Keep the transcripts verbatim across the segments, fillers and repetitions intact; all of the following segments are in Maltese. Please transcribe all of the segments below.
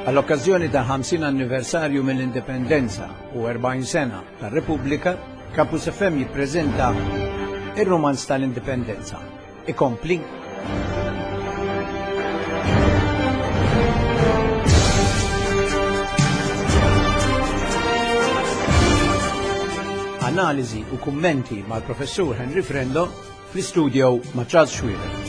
Għall-okkażjoni ta' ħamsin anniversarju mill-Indipendenza u erbgħin sena tar-Repubblika, Campus F M jippreżenta ir-Rumanz tal-Indipendenza. Ikompli. Analiżi u kummenti mal-Professur Henry Frendo fl-istudio ma' Charles Xuereb.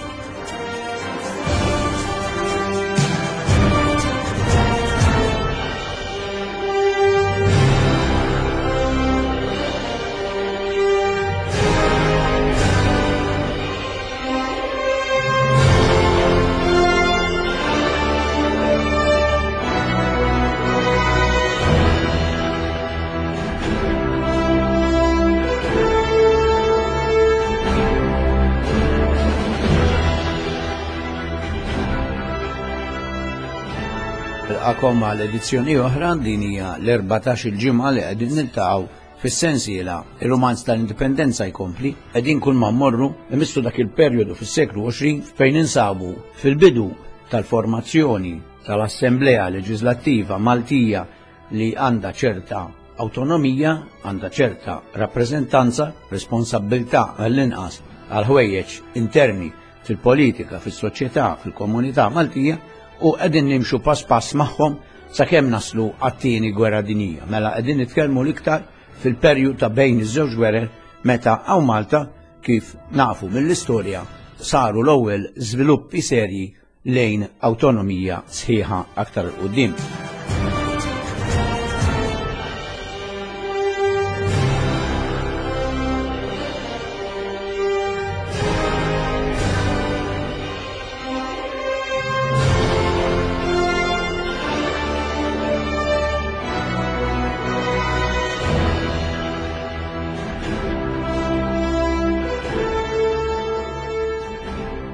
Nilqagħkom għal edizzjoni oħra. Din hija l-erbatax il-ġimgħa li qegħdin niltaqgħu fis-sensiela Ir-Rumanz tal-Indipendenza jkompli. Qegħdin kull ma mmorru imissu dak il-perjodu fis-seklu għoxrin fejn insabu fil-bidu tal-formazzjoni tal-Assemblea Leġislattiva Maltija li għandha ċerta autonomija, għandha ċerta rappreżentanza, responsabbiltà għall-inqas għal ħwejjeġ interni fil-politika, fis-soċjetà, fil-komunità Maltija, u qegħdin nimxu pass pass magħhom sakemm naslu għat-tieni gwerra dinjija. Mela qegħdin nitkellmu l-iktar fil-perjodu ta' bejn iż-żewġ gwerer, meta hawn Malta, kif nafu mill-istorja, saru l-ewwel żviluppi serji lejn awtonomija sħiħa aktar 'il quddiem.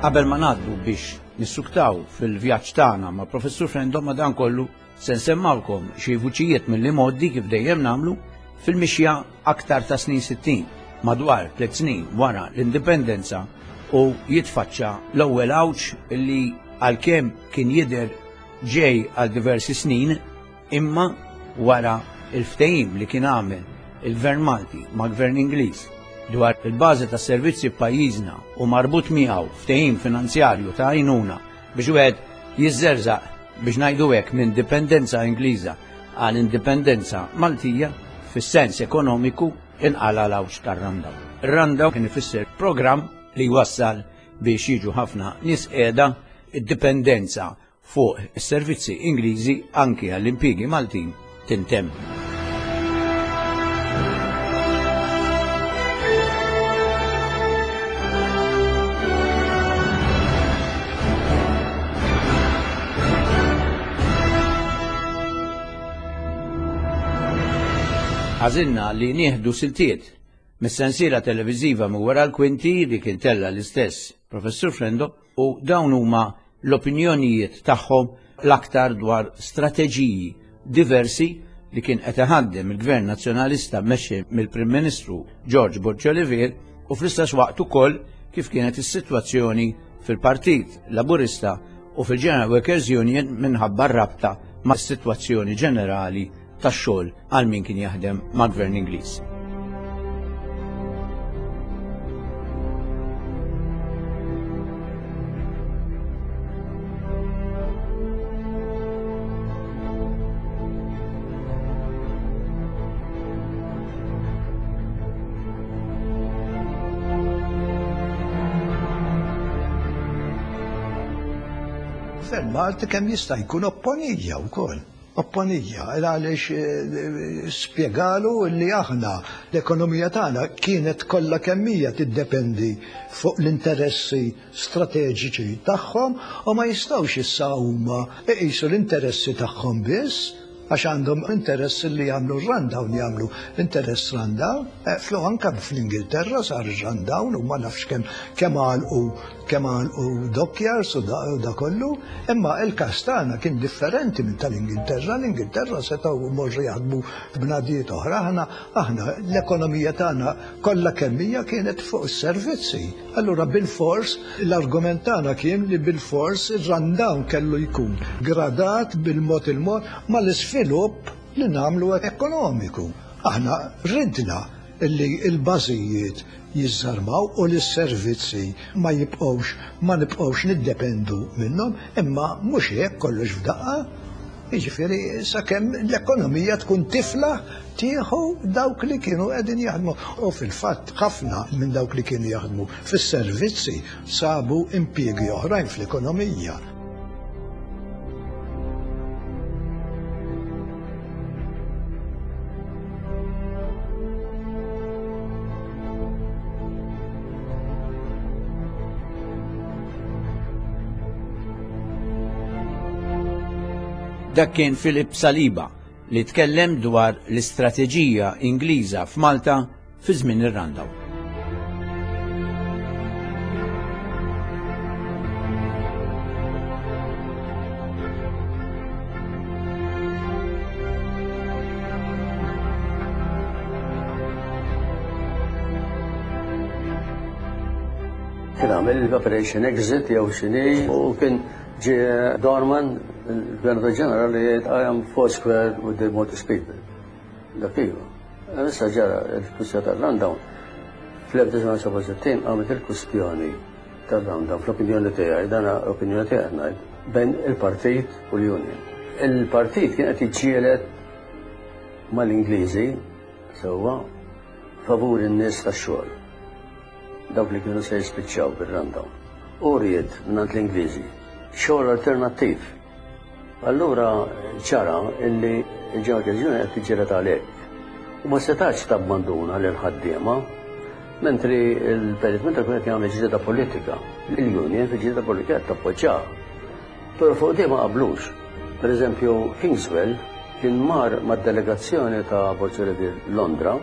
Qabel ma ngħaddu biex nissuktaw fil-vjaġġ tagħna ma' Professur Frendo, ma dan kollu se nsemmawkom xi vuċijiet mill-modi, kif dejjem nagħmlu, fil-mixja aktar ta' snin sittin, madwar tliet snin wara l-indipendenza, u jitfaċċa l-ewwel għawġ li għalkemm kien jidher ġej għal diversi snin, imma wara il-ftehim li kien għamel il-Gvern Malti ma' Gvern Ingliż dwar il-bażi ta' servizzi f'pajjiżna u marbut miegħu ftehim finanzjarju ta' għajnuna biex wieħed jiżżerżaq, biex ngħidu hekk, minn dipendenza Ingliża għal indipendenza Maltija fis-sens ekonomiku, inqala l-għawġ tar-Rundown. Ir-Rundown kien ifisser programm li wassal biex jiġu ħafna nies qiegħda, id-dipendenza fuq is-servizzi Ingliżi anki għall-impjiegi Maltin tintemm. Għażilna li nieħdu siltiet mis-sensiela televiżiva minn wara l-kwinti li kien tella l-istess Professur Frendo, u dawn huma l-opinjonijiet tagħhom l-aktar dwar strateġiji diversi li kien qed iħaddem il-Gvern Nazzjonalista mmexxi mill-Prim Ministru George Borg Olivier, u fl-istess waqt ukoll kif kienet is-sitwazzjoni fil-Partit Laburista u fil-General Workers Union minħabba rabta ma' sitwazzjoni ġenerali tax-xogħol għal min kien jaħdem ma' Gvern Ingliż. Gvern Malti kemm jista' jkun opponija wkoll. Opponija, għaliex eh, spjegalu li aħna l-ekonomija tagħna kienet kollha kemm hija tiddependi fuq l-interessi strateġiċi tagħhom u ma jistgħux issa huma iqisu l-interessi tagħhom biss. Għax għandhom interess li jagħmlu rundown, jagħmlu interess rundown, flu anka fl-Ingilterra sar rundown u ma nafx kemm kemm għalqu kemm għalqu dockyards u da kollu, imma il-każ tagħna kien differenti minn tal-Ingilterra. L-Ingilterra setgħu morru jaħdmu b'nadijiet oħra, aħna aħna l-ekonomija tagħna kollha kemm hija kienet fuq is-servizzi. Allura bil-fors l-argument tagħna kien li bil-fors ir-rundown kellu jkun gradat bil-mod il-mod mal-isvilupp li nagħmlu ekonomiku. Aħna ridna li l-bażijiet jiżżarmaw u li s-servizzi ma jibqgħux ma nibqgħux niddependu minnhom, imma mhux hekk kollox f'daqqa. Jiġifieri sakemm l-ekonomija tkun tifla tieħu dawk li kienu qegħdin jaħdmu. U fil-fatt ħafna minn dawk li kienu jaħdmu fis-servizzi sabu impjiegi oħrajn fl-ekonomija. Dak kien Philip Saliba li tkellem dwar l-istrateġija Ingliża f'Malta fi żmien ir-rundown. Kien għamel l-Operation Exit jew x'inhi u kien ġie Dorman, il-Gvernur Ġenerali, jgħid I am four square with the Maltese people. Dak iva. Issa ġara il-kwistjoni tar-rundown. Fl-elf disa' mija sebgħa u sittin għamlet il-kwistjoni tar-rundown, fl-opinjoni tiegħi, dan opinjoni tiegħi ngħid, bejn il-partit u l-union. Il-partit kien qed jiġġieled mal-Ingliżi sewwa favur in-nies tax-xogħol. Dawk li kienu se jispiċċaw bir-rundown. U ried mingħand l-Ingliżi xogħol alternattiv. Allura ċara illi il-General Union qed tiġġieled għalhekk. U ma setax tabbanduna lil ħaddiema, mentri il-Perit Mintoff kien qed jagħmel ġlieda politika. Il-Union fi ġlieda politika qed tappoġġjaha. Però fuq di ma qablux. Per eżempju, Kingswell kien mar mad-delegazzjoni ta' Borg Olivier Londra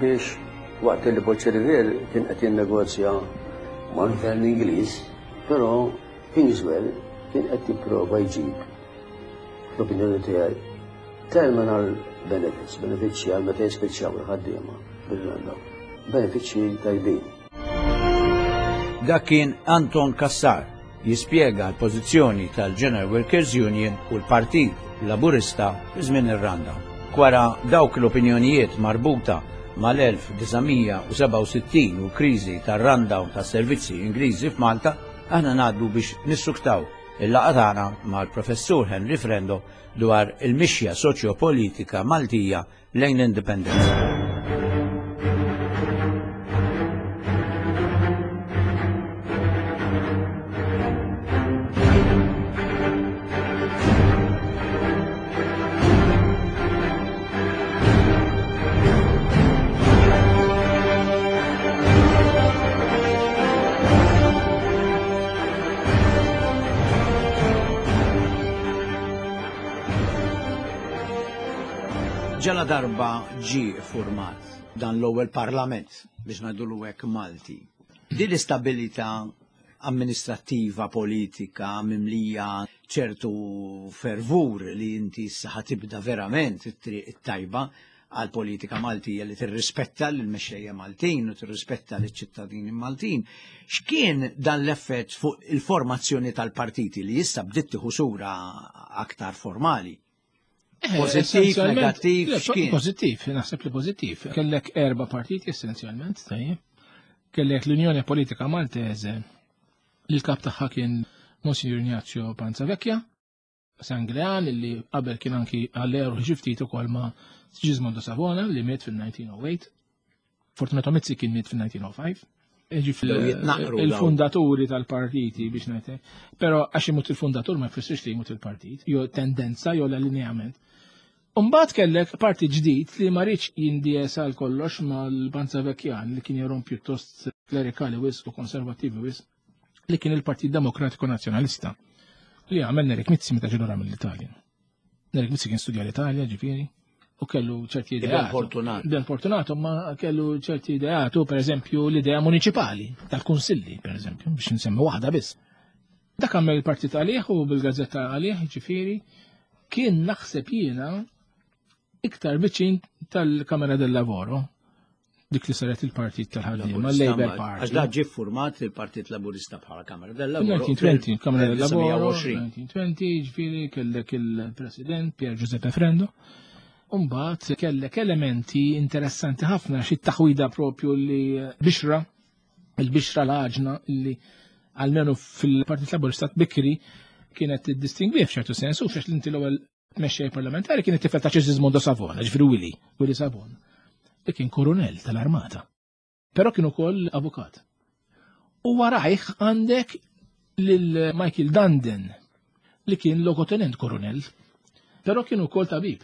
biex waqt li Borg Olivier kien qed jinnegozja mal-gvern Ingliż, però Kingswell kien qed jipprova jġib, fl-opinjoni tiegħi, terminal benefits, benefiċċji għal meta jispiċċaw il-ħaddiema bil-rundown, benefiċċji tajbin. Dak kien Anton Cassar jispjega l-pożizzjoni tal-General Workers Union u l-Partit Laburista fi żmien ir-rundown. Wara dawk l-opinjonijiet marbuta mal-elf disa' mija u sebgħa u sittin u kriżi tar-rundown tas-servizzi Ingliżi f'Malta, aħna ngħaddu biex nissuktaw il-laqgħa tagħna mal-Professur Henry Frendo dwar il-mixja soċjopolitika Maltija lejn l-indipendenza. Ġala darba ġie format dan l-ewwel parlament biex ngħidulu hekk Malti. Din l-istabilità amministrattiva, politika, mimlija ċertu fervur li inti issa ħatibda verament it-triq it-tajba għal politika Maltija li tirrispetta lill-mexxejja Maltin u tirrispetta lill-ċittadini Maltin. X'kien dan l-effett fuq il-formazzjoni tal-partiti li issa bdiet tieħu sura aktar formali? Eh, Pożittiv, essenzjalment, negattiv, le, x'kien? Pożittiv, naħseb li pożittiv. Kellek erba' partiti essenzjalment, tajjeb. Kellek l-Unjoni Politika Maltese, li l-kap tagħha kien Monsignor Ignazio Panzavecchia, Sanglean, li qabel kien anki għall-eru xi ftit ukoll ma' Sigismondo Savona, li miet fil-nineteen oh eight. Fortunato Mizzi kien miet fil-nineteen oh five. Ġifieri Bdew jitnaqru dawn. il-fundaturi tal-partiti biex ngħidlek. Però għax imut il-fundatur ma jfissirx li jmut il-partit, jew tendenza jew l-allineament. Umbagħad kellek parti ġdid li ma rridx jindies għal kollox mal-Panzavecchian li kien jerom pjuttost klerikali wisq u konservattivi wisq, li kien il-Partit Demokratiku Nazzjonalista li għamel Nerik Mizzi meta ġie lura mill-Italja. Nerik Mizzi kien studja l-Italja, ġifieri, u kellu ċerti Iben ideat. Fortunato. Ben Fortunato, ma kellu ċerti ideat, u per eżempju l-idea municipali, tal-kunsilli, per eżempju, biex nsemmi waħda biss. Dak għamel il-partit għalih u bil-gazzetta għalih, ġifieri, kien naħseb jiena iktar viċin tal-Kamera del Lavoro, dik li saret il-partit tal-ħaddiema, l-Labour Party. Għax da ġie format il-Partit Laburista bħala Kamera del Lavoro. fil-elf disa' mija u għoxrin, Kamera del Lavoro, fil-elf disa' mija u għoxrin. elf disa' mija u għoxrin, ġifieri kellek il-President Pier Giuseppe Frendo. Umbat kellek elementi interessanti ħafna xi taħwida propju li bixra, il-bixra l-għaġna li almenu fil-Partit Laburista bikri kienet tiddistingwi f'ċertu sens, u f'xiex l-inti l-ewwel mexxej parlamentari kienet tifel ta' Cismondo Savona, ġifieri Willy, Willy Savona, li kien koronel tal-armata. Però kien ukoll avukat. U warajh għandek lil Michael Dundon li kien logotenent koronel, però kien ukoll tabib.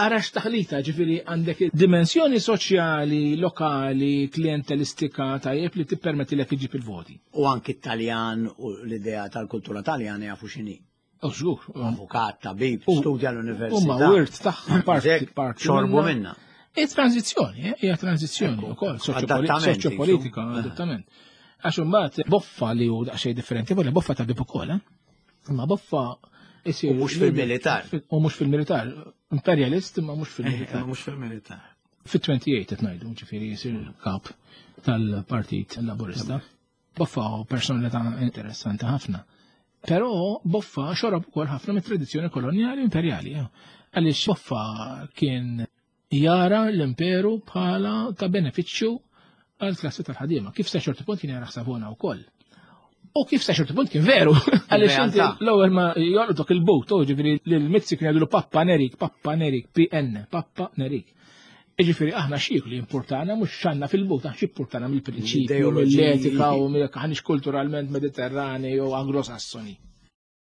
Ara x'taħlita, ġifieri għandek dimensjoni soċjali, lokali, klientelistika tajjeb li tippermetti lek iġib il-voti. U anki Taljan u l-idea tal-kultura taljana jafu x'inhi. U żgur. Avukat, tabib, U- studja l-università. Huma wirt tagħha parti Dik, parti xorbu minna. E tranzizzjoni, eh, hija tranzizzjoni wkoll, Adattament, soċjopolitika, jisu. adattament. Għax imbagħad Boffa li hu daqsxejn differenti, vola Boffa tabib ukoll, eh? Imma Boffa isir U mhux fil-militar. U mhux fil-militar. Imperialist imma mhux fil-militar. Mhux fil-militar. Fit-tmintja u għoxrin qed ngħidu, ġifieri jsir kap tal-Partit Laburista. Boffa hu personalità interessanti ħafna. Però Boffa xorob ukoll ħafna mit-tradizzjoni kolonjali imperjali. eh. Għaliex Boffa kien jara l-imperu bħala ta' benefiċċju għal klassi tal-ħadiema. Kif sa ċertu punt kien jara Savona wkoll. U kif sa ċertu punt kien veru. Għaliex inti Realtà. l-ewwel ma jolqtok il-but, u ġifieri lil Mizzi kien jgħidulu Pappa Nerik, Pappa Nerik, P N, Pappa Nerik. Ġifieri aħna xieku li importana, mhux xanna fil-but, aħna x'importana mill-prinċipju, Ideoloġiji. mill-etika u mill aħniex kulturalment Mediterranei u Anglosassoni.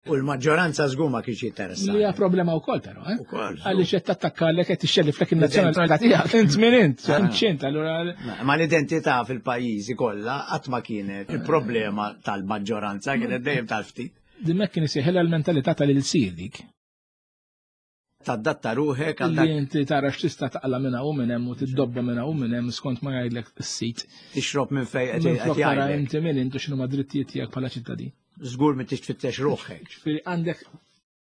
U l-maġġoranza żgur ma kienx jinteressa. Li hija problema wkoll però, eh? Ukoll. Għaliex qed tattakkalek, qed tixxelliflek in-nazzjonalità tiegħek. Int min int, int x'int, allura Ma l-identità fil-pajjiżi kollha qatt ma kienet il-problema tal-maġġoranza, kienet dejjem tal-ftit. Dimmek kien isejħilha l-mentalità tal-ilsir dik. Tadatta ruħek għal Li dak. inti tara x'tista' taqla minn hawn u minn hemm u tiddobba minn hawn u minn hemm skont ma jgħidlek is-sit. Tixrob minn fejn qed Minflok qed tara jgħidlek. inti min intu x'inhuma drittijiet tiegħek bħala ċittadin. Żgur mi tix tfittex ruħek. Ġifieri għandek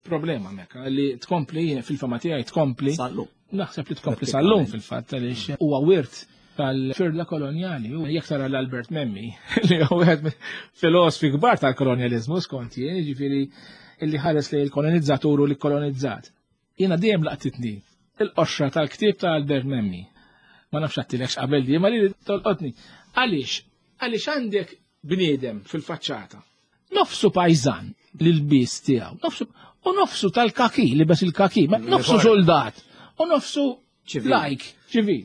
problema hemmhekk li tkompli fil-fama tiegħi tkompli Sallu. Naħseb li tkompli sal-lum fil-fatt għaliex huwa wirt tal-firda kolonjali. U jekk tara l-Albert Memmi li huwa wieħed filosofi kbar tal-kolonjalizmu skont jien, jiġifieri illi ħares li l-kolonizzatur u li kolonizzat. Jiena dejjem laqtitni il-qoxra tal-ktieb ta' Albert Memmi. Ma nafx għattilekx qabel di, ma li tolqotni. Għaliex? Għaliex għandek bniedem fil-faċċata. Nofsu pajzan l-bis tiegħu, nofsu u nofsu tal-kaki, libes il-kaki, ma nofsu soldat, u nofsu Ċivil. like, ċivil.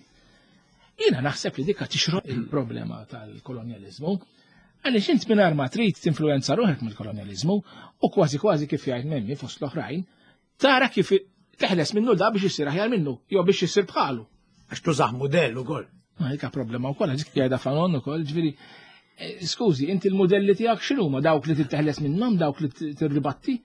Jiena naħseb li dikka tixroq il-problema tal-kolonjalizmu. Għaliex int mingħajr ma trid tinfluenza ruħek mill-kolonjalizmu u kważi kważi kif jgħid Memmi fost l-oħrajn, tara kif teħles minnu da biex isir aħjar minnu, jew biex isir bħalu. Għax tużaħ modell ukoll. Ma dikka problema wkoll, għax jgħidha Fanon ukoll, ġifieri eh, skużi, inti l-modelli tiegħek x'inhuma dawk li titteħles minnhom, dawk li tirribatti?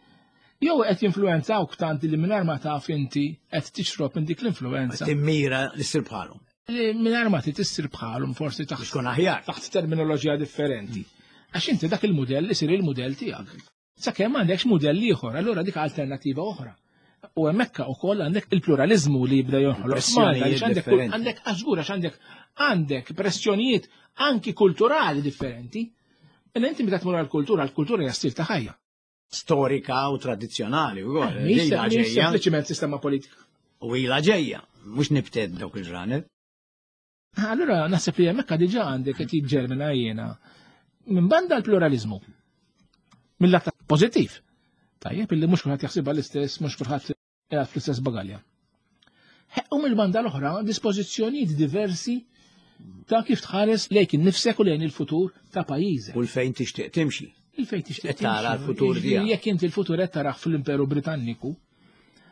Jew qed jinfluwenzawk tant li mingħajr ma taf inti qed tixrob minn dik l-influenza. Timmira li ssir bħalhom. Li mingħajr ma trid issir bħalhom forsi Biex taħt tkun aħjar. taħt terminoloġija differenti. Għax inti dak il-modell isir il-modell tiegħek. Sakemm m'għandekx modell ieħor, allura dik alternattiva oħra. U hemmhekk ukoll għandek il-pluralizmu li jibda jonħoloq. Pressjonijiet Malta, għaliex għandek differenti. għandek għażgur għax għandek għandek pressjonijiet anki kulturali differenti. Illa inti meta tmur għall-kultura, l-kultura hija stil ta' ħajja. Storika u tradizzjonali ukoll. Mhix Ila mhix ġejja. sempliċiment sistema politika. U ila ġejja. Mhux nibted dawk il-ġranet. Allura naħseb li hemmhekk diġà għandek qed jiġġermina jiena minn banda l-pluralizmu. Mill-lat pożittiv. Tajjeb illi mhux kulħadd jaħsibha l-istess, mhux kulħadd qiegħed fl-istess bagalja. U mill-banda l-oħra dispożizzjonijiet diversi ta' kif tħares lejk innifsek u lejn il-futur ta' pajjiżek. U l-fejn tixtieq timxi. Il-fejn tixtieq Qed tara timxi. l-futur Jiġifieri tiegħek. jekk inti l-futur qed tarah fl-Imperu Britanniku,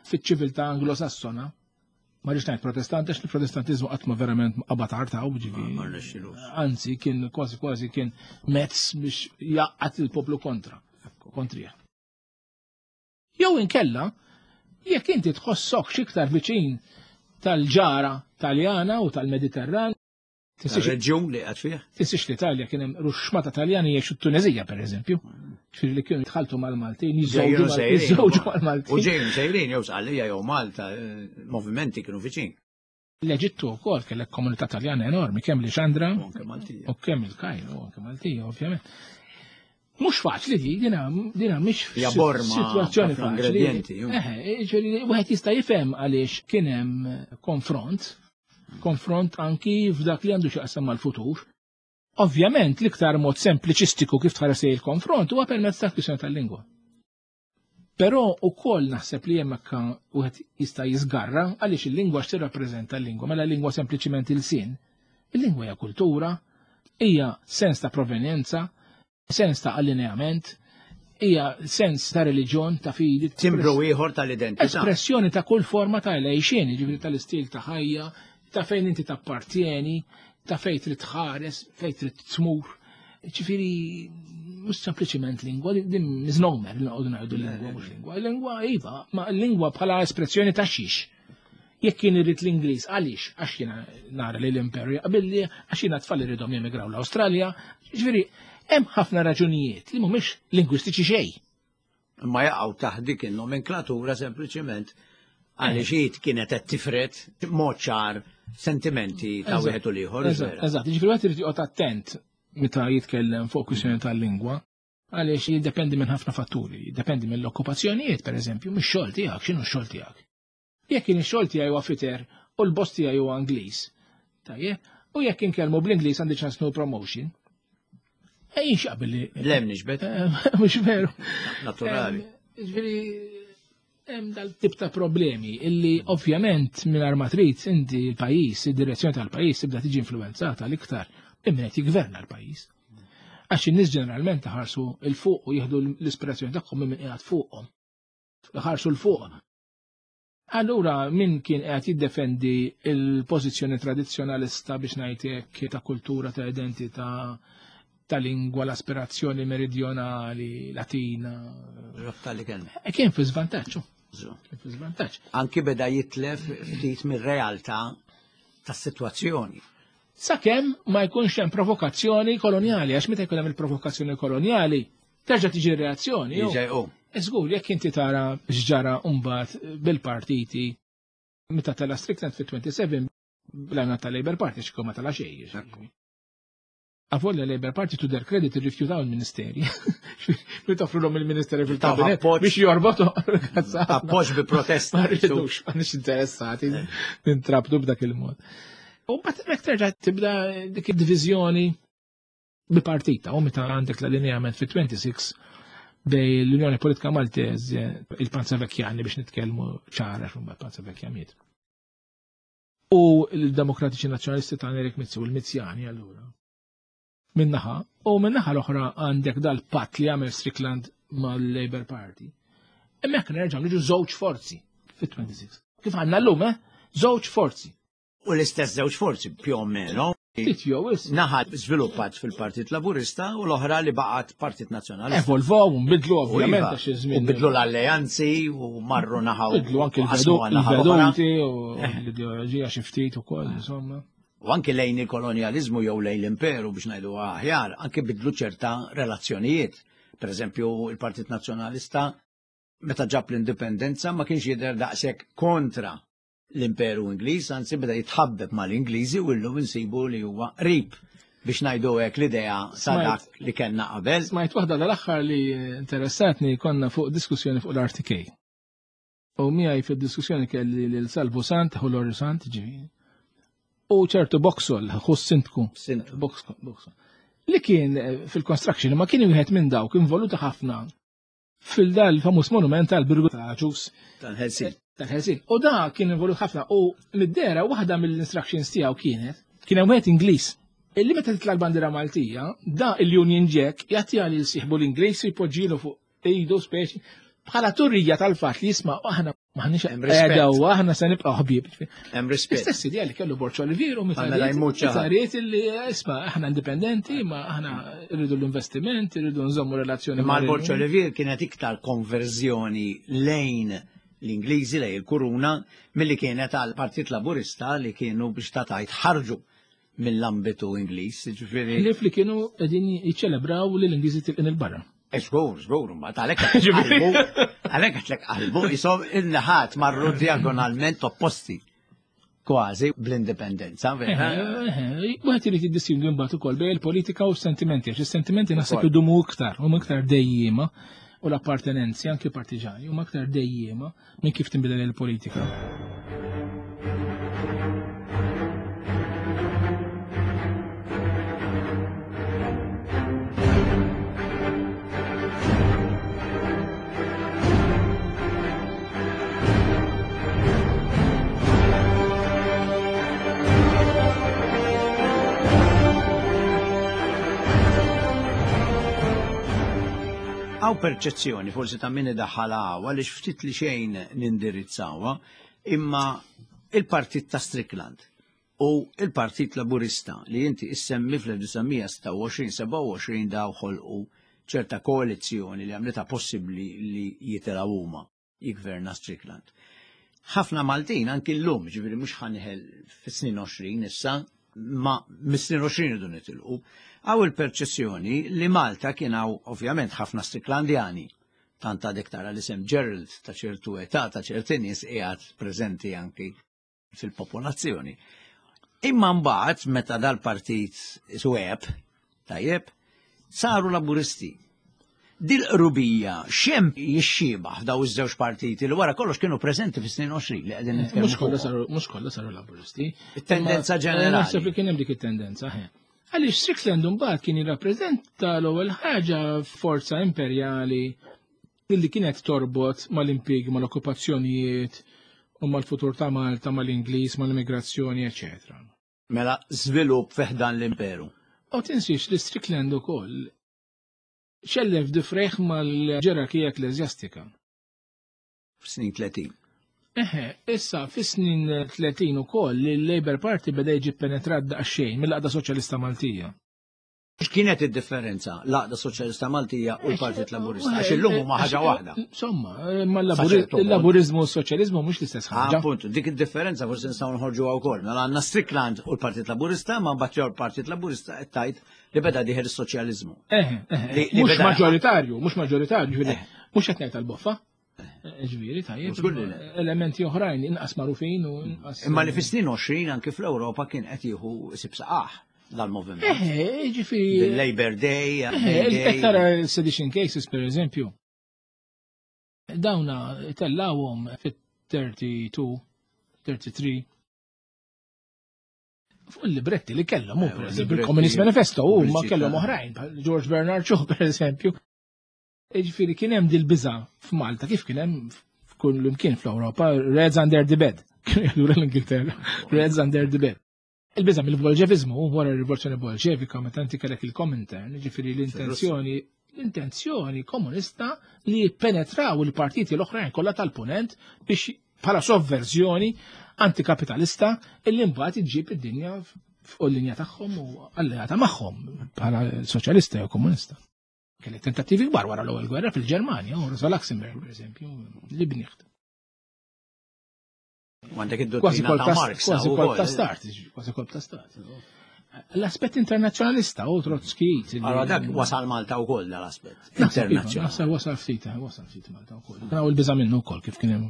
fiċ-ċiviltà Anglosassona, ma rridx ngħid Protestant għax il-Protestantiżmu qatt ma verament qabad artaw, ġifieri. Ma rnexxilux. Anzi, kien kważi kważi kien mezz biex jaqqat il-poplu kontra, kontrija. Jew inkella Jekk inti tħossok x'iktar viċin tal-ġara Taljana u tal-Mediterran, Reġjun li qed fih. Tinsiex l-Italja kien hemm ruxxmata Taljani jgħixu t-Tunezija pereżempju. Ġifieri li kienu jitħaltu mal-Maltin, jiżżewġu mal-Maltin. U ġejjin sejrin jew Sqallija jew Malta, movimenti kienu viċin. L-Eġittu wkoll kellek komunità Taljana enormi, kemm Lixandra u kemm il-Kajro, anke Maltija ovvjament. Mhux faċli di, dina dina mhix sitwazzjoni faċli. Eħe, ġifieri wieħed jista' jifhem għaliex kien hemm konfront, konfront anki f'dak li għandu x'jaqsam mal-futur. Ovvjament l-iktar mod sempliċistiku kif tħares il-konfront huwa permezz tal-kwistjoni tal-lingwa. Però ukoll naħseb li hemmhekk wieħed jista' jiżgarra għaliex il-lingwa x'tirrappreżenta l-lingwa, mela l-lingwa sempliċiment il-sin. Il-lingwa hija kultura, hija sens ta' provenjenza, sens ta' allineament, hija sens ta' reliġjon, ta' fidi. Timbru ieħor tal-identità. Espressjoni ta' kull forma ta' għejxien, jiġifieri tal-istil ta' ħajja, ta' fejn inti tappartieni, ta' fejn trid tħares, fejn trid tmur. Ġifieri mhux sempliċiment lingwa, din misnomer li noqogħdu ngħidu lingwa mhux lingwa. Lingwa iva, ma lingwa bħala espressjoni ta' xiex. Jekk kien irid l-Ingliż, għaliex? Għax jiena nara li l-imperu jaqbilli, għax jiena tfal iridhom jemigraw l-Awstralja. Ġifieri hemm ħafna raġunijiet li mhumiex lingwistiċi xejn. Ma jaqgħu taħt dik in-nomenklatura sempliċiment għaliex hi kienet qed tifred mod ċar sentimenti ta' wieħed u l-ieħor. Eżatt, jiġifieri wieħed irid joqgħod attent meta jitkellem fuq kwistjoni tal-lingwa, għaliex jiddependi minn ħafna fatturi, jiddependi mill-okkupazzjonijiet, pereżempju, mix-xogħol tiegħek, x'inhu x-xogħol tiegħek. Jekk kien ix-xogħol tiegħi huwa fitter u l-boss tiegħi huwa Ingliż, tajjeb, u jekk inkellmu bl-Ingliż għandi ċans no promotion. Ejjin x'qabel li. Lem nixbet. Mhux veru. Naturali. Ġifieri hemm dal-tip ta' problemi illi ovvjament mingħajr ma trid inti l-pajjiż, id-direzzjoni tal-pajjiż tibda tiġi influwenzata l-iktar minn qed jiggverna l-pajjiż. Għax in-nies ġeneralment ħarsu l fuq u jieħdu l-ispirazzjoni tagħhom minn qiegħed fuqhom. Ħarsu l fuq. Allura min kien qed jiddefendi l-pożizzjoni tradizzjonalista biex ngħidlek ta' kultura, ta' identità, ta' lingwa, l-aspirazzjoni meridjonali, latina. Rabta li kellna. E kien fi żvantaġġ. Kien fi żvantaġġ. Anki beda jitlef ftit mir-realtà tas-sitwazzjoni. Sakemm ma jkunx hemm provokazzjoni kolonjali, għax meta jkun hemm il-provokazzjoni kolonjali, terġa' tiġi reazzjoni. Żgur, jekk inti tara x'ġara mbagħad bil-partiti meta tela Strickland fit-twenty-seven bl-għana tal-Labour Party x'kien ma tela xejn. Avolja Labour Party to their credit irrifjutaw il-ministeri. Li toffrulhom il-ministeri fil-kabinet biex jorbotu. Appoġġ bi protesta. Ma rridux, m'għandniex interessati nintrabtu b'dak il-mod. U mbagħad hemmhekk terġa' tibda dik id-diviżjoni bipartita u meta għandek l-allineament fit-twenty-six bej l-Unjoni Politika Maltese, il-Panza Vecchiani biex nitkellmu ċara x'huma Panza Vecchia miet. U l-Demokratiċi Nazzjonalisti ta' Erik Mizzi u l-Mizzjani allura. Minnaħa, u minnaħa l-oħra għandek dal-patt li għamel Strickland mal-Labour Party. Hemmhekk nerġgħu niġu żewġ forzi fit-twenty-six. Kif għandna llum, eh? Żewġ forzi. U l-istess żewġ forzi più o meno. Naħa żviluppat fil-Partit Laburista u l-oħra li baqgħet Partit Nazzjonalista. Evolvaw, nbidlu ovvjament għax iż-żmien. U bidlu l-alleanzi u marru naħa. Bidlu anke l-veduti u l-ideoloġija xi ftit ukoll, insomma. U anke lejn il-kolonjalizmu jew lejn l-imperu biex ngħidu aħjar, anke bidlu ċerta relazzjonijiet. Per eżempju, il-Partit Nazzjonalista meta ġab l-indipendenza ma kienx jidher daqshekk kontra l-imperu Ingliż, anzi beda jitħabbeb mal-Ingliżi u llum insibu li huwa qrib biex ngħidu hekk l-idea sa dak li kellna qabel. Smajt waħda dal-aħħar li interessatni, konna fuq diskussjoni fuq l-R T K. U miegħi fid-diskussjoni kelli lil Salvu Sant, ħu Lorry Sant, ġifieri. U ċertu Boxall, ħu s-sindku. Boxall. Li kien fil-construction, ma kien wieħed minn dawk involuta ħafna fil-dal famuż monument tal-Birgu ta' Ġus. Tal-Ħelsin. Tal-Ħelsin. U da kien involut ħafna u mid-dera waħda mill-instructions tiegħu kienet, kien hemm wieħed Ingliż. Illi meta titla' l-bandiera Maltija, da il-Union Jack jagħtiha lil sieħbu l-Ingliż u jpoġġilu fuq idu speċi bħala turrija tal-fatt li jisma' aħna maħniex għedaw, aħna se nibqgħu ħbieb. Hemm rispett. Istess idea li kellu Borg Olivier u meta ried illi isma' aħna indipendenti, ma aħna rridu l-investiment, rridu nżommu relazzjoni. Ma Borg Olivier kienet iktar konverżjoni lejn l-Ingliżi, lejn il-Kuruna, milli kienet għal Partit Laburista li kienu biex ta' tajt ħarġu mill-ambitu Ingliż, ġifieri. Ħlief li kienu qegħdin jiċċelebraw li l-Ingliżi tilqin il-barra. Żgur, żgur, mbagħad għalhekk qalbu, għalhekk għedtlek qalbu, isom in-naħat marru diagonalment opposti. Kważi bl-indipendenza, vera? Wieħed irid jiddistingwi mbagħad ukoll bejn il-politika u s-sentimenti, għax is-sentimenti naħseb idumu iktar, huma iktar dejjiema, u l-appartenenzi anke partiġani huma iktar dejjiema minn kif tinbidel il-politika. Għaw perċezzjoni forsi ta' min idaħħalha hawn għaliex ftit li xejn nindirizzawha, imma il-Partit ta' Strickland u il-Partit Laburista li inti issemmi fl-elf disa' sitta u għoxrin seba' u għoxrin daw ħolqu ċerta koalizzjoni li għamlitha possibbli li jitilgħu huma jigverna Strickland. Ħafna Maltin anki llum, ġifieri mhux ħanħel fis-snin għoxrin issa, ma mis-snin għoxrin idu nitilqu. Għaw il-perċezzjoni li Malta kien hawn ovvjament ħafna Stricklandjani, tant għadek tara l-isem Gerald ta' ċertu età ta' ċerti nies qiegħed preżenti anki fil-popolazzjoni. Imma mbagħad meta dal-partit sweb, tajjeb, saru Laburisti. Dil-qrubija xem jixxiebaħ f'daw iż-żewġ partiti li wara kollox kienu preżenti fis-snin għoxrin li qegħdin nitkellmu Mhux kollha fuqhom. saru, mhux kollha saru Laburisti. It-tendenza Imma, ġenerali. Naħseb li kien hemm dik it-tendenza, ħe. Għaliex Strickland mbagħad kien jirrappreżenta l-ewwel ħaġa forza imperjali illi kienet torbot mal-impjiegi, mal-okkupazzjonijiet u mal-futur ta' Malta, mal-Ingliż, mal-immigrazzjoni, eċċetera. Mela żvilupp fi ħdan l-imperu. U tinsiex li Strickland ukoll xellef difreħ mal-ġerarkija ekkleżjastika. F'snin tletin. Eħe, issa fis-snin tletin ukoll il-Labour Party beda jiġi penetrat daqsxejn mill-Għaqda Soċjalista Maltija. X'kienet id-differenza l-Għaqda Soċjalista Maltija u l-Partit Laburista? Għax illum huma ħaġa waħda. Insomma, ma l-Laburi-, Saċertu mod. il-Laburizmu u s-Soċjaliżmu mhux l-istess Ah, ħaġa. Appuntu, dik id-differenza forsi nistgħu nħorġuha wkoll. Mela għandna Strickland u l-Partit Laburista, ma mbagħad jew l-Partit Laburista qed tgħid li beda dieħel is-soċjaliżmu. Eħe, eħe, Li-, li mhux beda- maġġoritarju, mhux maġġoritarju, ġifieri, Eh. mhux qed ngħid tal-boffa. Ġifieri, tajjeb, Żgur li le. elementi oħrajn inqas magħrufin u inqas. Imma li fis-snin għoxrin anki fl-Ewropa kien qed jieħu isib saqah dal-moviment. Eħe, ġifieri. Bil-Labor Day, Eħe, May qed Day. tara sedition cases per eżempju. Dawna tellawhom fit-thirty-two, thirty-three. Fuq il-libretti li kellhom, hu, Eh, per eżempju, libretti il-Communist Manifesto, u ma pubbliċità. kellhom oħrajn, bħal George Bernard Shaw, per eżempju. Ġifieri kien hemm dil-biża' f'Malta, kif kien hemm f'kull imkien fl-Ewropa, Reds under the bed. Kienu jgħidu l-Ingilterra, Reds under the bed. Il-biża' mill-Bolxevizmu, wara r-Rivoluzzjoni Bolxevika, meta inti kellek il-Komintern, ġifieri l-intenzjoni, l-intenzjoni komunista li jippenetraw il-partiti l-oħrajn kollha tal-punent biex bħala sovverżjoni antikapitalista illi mbagħad iġġib id-dinja fuq il-linja tagħhom u alleata magħhom bħala soċjalista jew komunista. Kellek tentattivi kbar wara l-ewwel gwerra fil-Ġermanja, u Rosa Luxemburg, per eżempju, Liebknecht. U għandek Kważi id-dottrina kolb ta' ta' Marx, kważi ukoll. kolb ta' start, kważi kolb ta' stat. L-aspett internazzjonalista u Trotsky. Allora dak wasal Malta wkoll dal-aspett Naħseb iva, internazzjonali. Naħseb wasal ftit, eh, wasal ftit Malta wkoll. Kien hawn il-biża' minnu wkoll kif kien hemm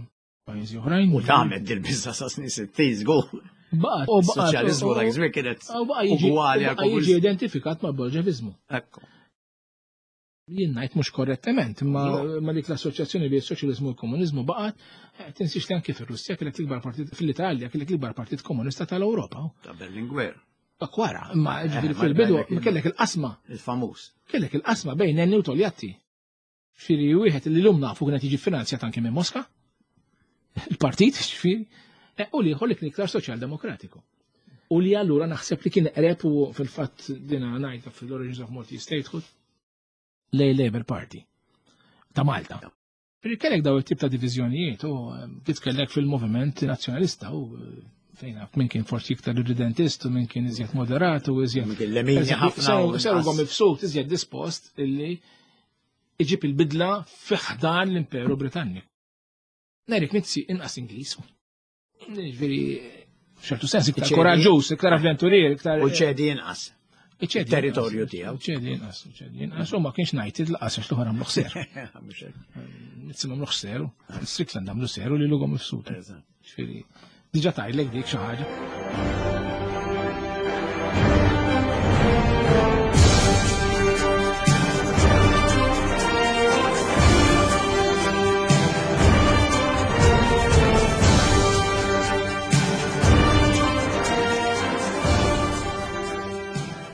pajjiżi oħrajn. U tagħmel dil-biża' sa snin sittin żgur. Baqa' u baqa' Soċjaliżmu dak iż-żmien kienet u baqa' jiġi ugwali u għal baqa' jiġi komunisti. identifikat ma' Bolxevizmu. Ekku. Jien ngħid mhux korrettament, imma No. ma dik l-assoċjazzjoni bejn is-soċjaliżmu u l-komuniżmu baqgħet, eh, tinsiex li anke fir-Russja kellek l-ikbar partit, fl-Italja kellek l-ikbar partit komunista tal-Ewropa. Ta' Berlinguer. Dak wara, imma ġifieri Eh, ma fil-bidu kellek il- kellek il-qasma. Il-famuż. Kellek il-qasma bejn Nenni u Togliatti. Ġifieri wieħed li llum nafu kienet jiġi finanzjat anke minn Mosca. Il-partit, ġifieri, eh, u l-ieħor li kien iktar soċjaldemokratiku. U li allura naħseb li kien qreb u fil-fatt dina ngħidha fil-Origins of Maltese Statehood lej Labour Party ta' Malta. Ġifieri kellek daw it-tip ta' diviżjonijiet u, eh, titkellek fil-moviment nazzjonalista u, eh, fejn naf, min kien forsi iktar irridentist u min kien iżjed moderat u iżjed Min kien lemini Eżempju, ħafna seru- u seru inqas. għom mifsud iżjed dispost illi iġib il-bidla fi ħdan l-Imperu Britanniku. Nerik Mizzi inqas Ingliż. Ġifieri f'ċertu sens iktar koraġġuż, iktar avventurier, iktar. U ċedi inqas. Territorju tiegħu. Ċedi inqas, ċedi inqas, u ma kienx ngħid laqas għax l-oħra għamlu ħser. Mizzi għamlu ħseru, Strickland għamlu seru li lughom mifsud. Ġifieri diġà tgħidlek dik xi ħaġa.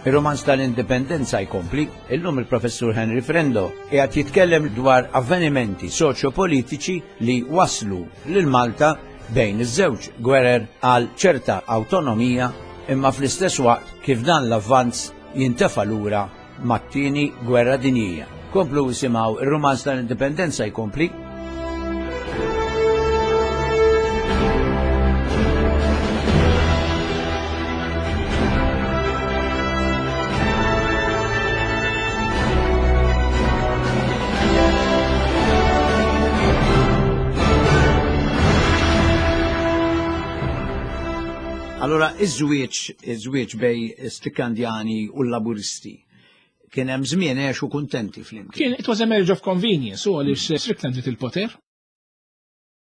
Ir-romanz tal-Indipendenza jkompli, illum il-Professur Henry Frendo qiegħed jitkellem dwar avvenimenti soċjopolitiċi li waslu lil Malta bejn iż-żewġ gwerer għal ċerta awtonomija, imma fl-istess waqt kif dan l-avvanz jintefa' lura mat-tieni gwerra dinjija. Komplu isimgħu ir-romanz tal-Indipendenza jkompli. Allora, iż-żwieġ, iż-żwieġ bej Stricklandjani u l-Laburisti, kien hemm żmien għexu kuntenti flimkien. Kien, it was a marriage of convenience, u għaliex Strickland ried il-poter.